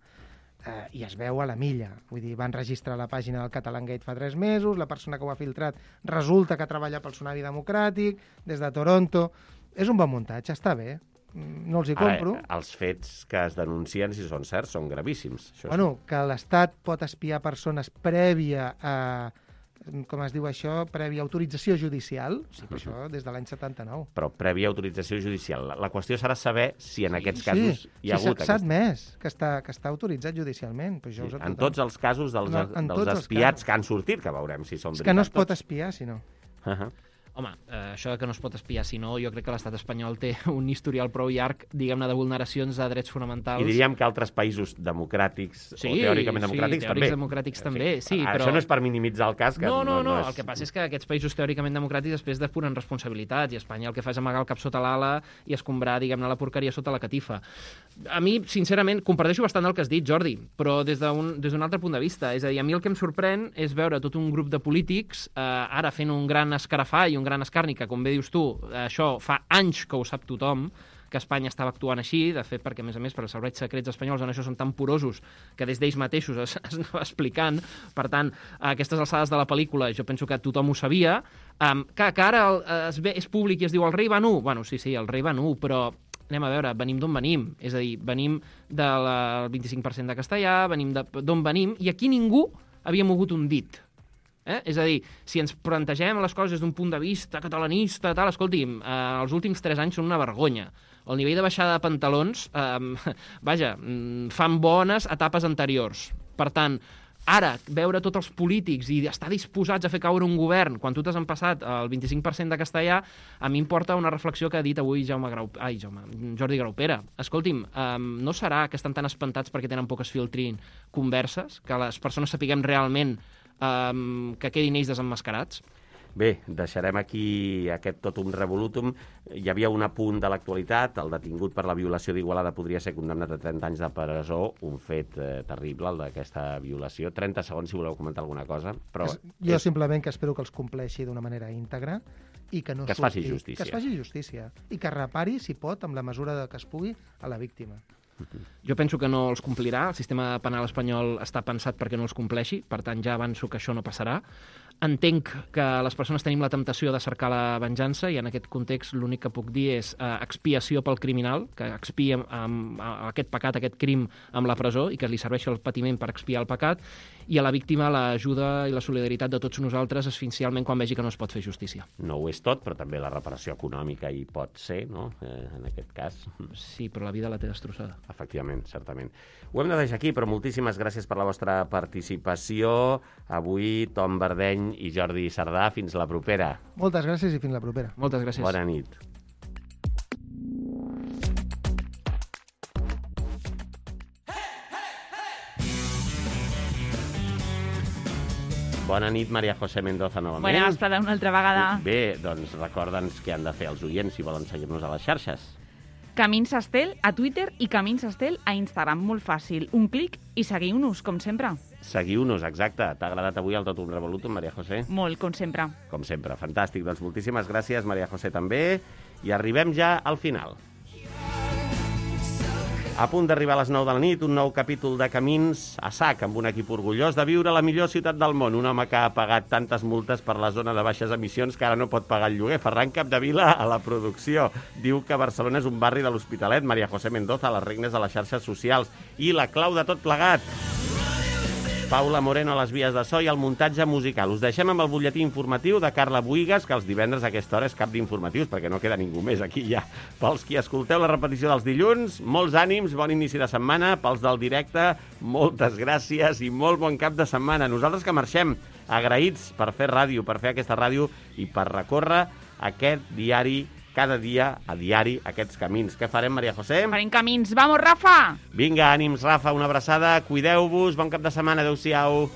Uh, i es veu a la milla. Vull dir, van registrar la pàgina del Catalangate fa tres mesos, la persona que ho ha filtrat resulta que treballa pel Tsunami Democràtic, des de Toronto. És un bon muntatge, està bé. No els hi compro. Ara, els fets que es denuncien, si són certs, són gravíssims. Això bueno, és... que l'Estat pot espiar persones prèvia a com es diu això, prèvia autorització judicial, sí, però això des de l'any setanta-nou. Però prèvia autorització judicial. La, la qüestió serà saber si en aquests casos sí, hi ha sí, hagut... s'ha admès que està, que està autoritzat judicialment. Però això Sí, ho sap en tothom. tots els casos dels, No, en dels tots els espiats casos. que han sortit, que veurem si són És veritat que no es pot tots. espiar, si no. Uh -huh. Home, eh, això de que no es pot espiar, si no, jo crec que l'estat espanyol té un historial prou llarg, diguem-ne, de vulneracions de drets fonamentals. I diríem que altres països democràtics, Sí, o teòricament sí, democràtics, teòrics també. democràtics també, sí, Això però- no és per minimitzar el cas, que No, no, no, és... el que passa és que aquests països teòricament democràtics després depuren responsabilitats i Espanya el que fa és amagar el cap sota l'ala i escombrar, diguem-ne, la porqueria sota la catifa. A mi, sincerament, comparteixo bastant el que has dit, Jordi, però des d'un des d'un altre punt de vista. És a dir, a mi el que em sorprèn és veure tot un grup de polítics eh, ara fent un gran escarafall i un gran escarni, que, com bé dius tu, això fa anys que ho sap tothom, que Espanya estava actuant així, de fet, perquè, a més a més, per als serveis secrets espanyols en això són tan porosos que des d'ells mateixos es, es anava explicant. Per tant, a aquestes alçades de la pel·lícula jo penso que tothom ho sabia. Um, que, que ara el, es ve, és públic i es diu el rei va nu. Bueno, sí, sí, el rei va nu, però anem a veure, venim d'on venim. És a dir, venim del vint-i-cinc per cent de castellà, venim d'on venim, i aquí ningú havia mogut un dit. Eh? És a dir, si ens plantegem les coses des d'un punt de vista catalanista, tal, escolti'm, eh, els últims tres anys són una vergonya. El nivell de baixada de pantalons, eh, vaja, fan bones etapes anteriors. Per tant, ara, veure tots els polítics i estar disposats a fer caure un govern quan tu t'has empassat el vint-i-cinc per cent de castellà, a mi em porta una reflexió que ha dit avui Jaume Grau... Ai, Jaume, Jordi Graupera. Escolti'm, eh, no serà que estan tan espantats perquè tenen por que es filtrin converses, que les persones sapiguem realment Um, que quedin ells desemmascarats? Bé, deixarem aquí aquest tot un revolutum. Hi havia un apunt de l'actualitat. El detingut per la violació d'Igualada podria ser condemnat a trenta anys de presó. Un fet eh, terrible, el d'aquesta violació. trenta segons, si voleu comentar alguna cosa. Però es, jo és... simplement que espero que els compleixi d'una manera íntegra i que no que es faci surti, justícia. Que es faci justícia. I que repari, si pot, amb la mesura de que es pugui, a la víctima. Jo penso que no els complirà. El sistema penal espanyol està pensat perquè no els compleixi, per tant ja avanço que això no passarà. Entenc que les persones tenim la temptació de cercar la venjança i en aquest context l'únic que puc dir és eh, expiació pel criminal, que expiï amb, amb, amb aquest pecat, aquest crim amb la presó i que li serveixi el patiment per expiar el pecat, i a la víctima l'ajuda i la solidaritat de tots nosaltres essencialment quan vegi que no es pot fer justícia. No ho és tot, però també la reparació econòmica hi pot ser, no?, eh, en aquest cas. Sí, però la vida la té destrossada. Efectivament, certament. Ho hem de deixar aquí, però moltíssimes gràcies per la vostra participació. Avui, Tom Verdeny i Jordi Sardà. Fins la propera. Moltes gràcies i fins la propera. Moltes gràcies. Bona nit. Bona nit, Maria José Mendoza, novament. Bona vesprada una altra vegada. Bé, doncs recorda'ns què han de fer els oients si volen seguir-nos a les xarxes. Camins Estel a Twitter i Camins Estel a Instagram. Molt fàcil. Un clic i seguiu-nos, com sempre. Seguiu-nos, exacte. T'ha agradat avui el Tot un Revolutum, Maria José? Molt, com sempre. Com sempre, fantàstic. Doncs moltíssimes gràcies, Maria José, també. I arribem ja al final. A punt d'arribar a les nou de la nit, un nou capítol de Camins a sac, amb un equip orgullós de viure a la millor ciutat del món. Un home que ha pagat tantes multes per la zona de baixes emissions que ara no pot pagar el lloguer. Ferran Capdevila a la producció. Diu que Barcelona és un barri de l'Hospitalet. Maria José Mendoza a les regnes de les xarxes socials. I la clau de tot plegat, Paula Moreno a les vies de so i el muntatge musical. Us deixem amb el butlletí informatiu de Carla Buigas, que els divendres a aquesta hora és cap d'informatius, perquè no queda ningú més aquí ja. Pels qui escolteu la repetició dels dilluns, molts ànims, bon inici de setmana. Pels del directe, moltes gràcies i molt bon cap de setmana. Nosaltres que marxem agraïts per fer ràdio, per fer aquesta ràdio i per recórrer aquest diari cada dia, a diari, aquests camins. Què farem, Maria José? Farem camins. Vamos, Rafa! Vinga, ànims, Rafa, una abraçada, cuideu-vos, bon cap de setmana, adeu-siau.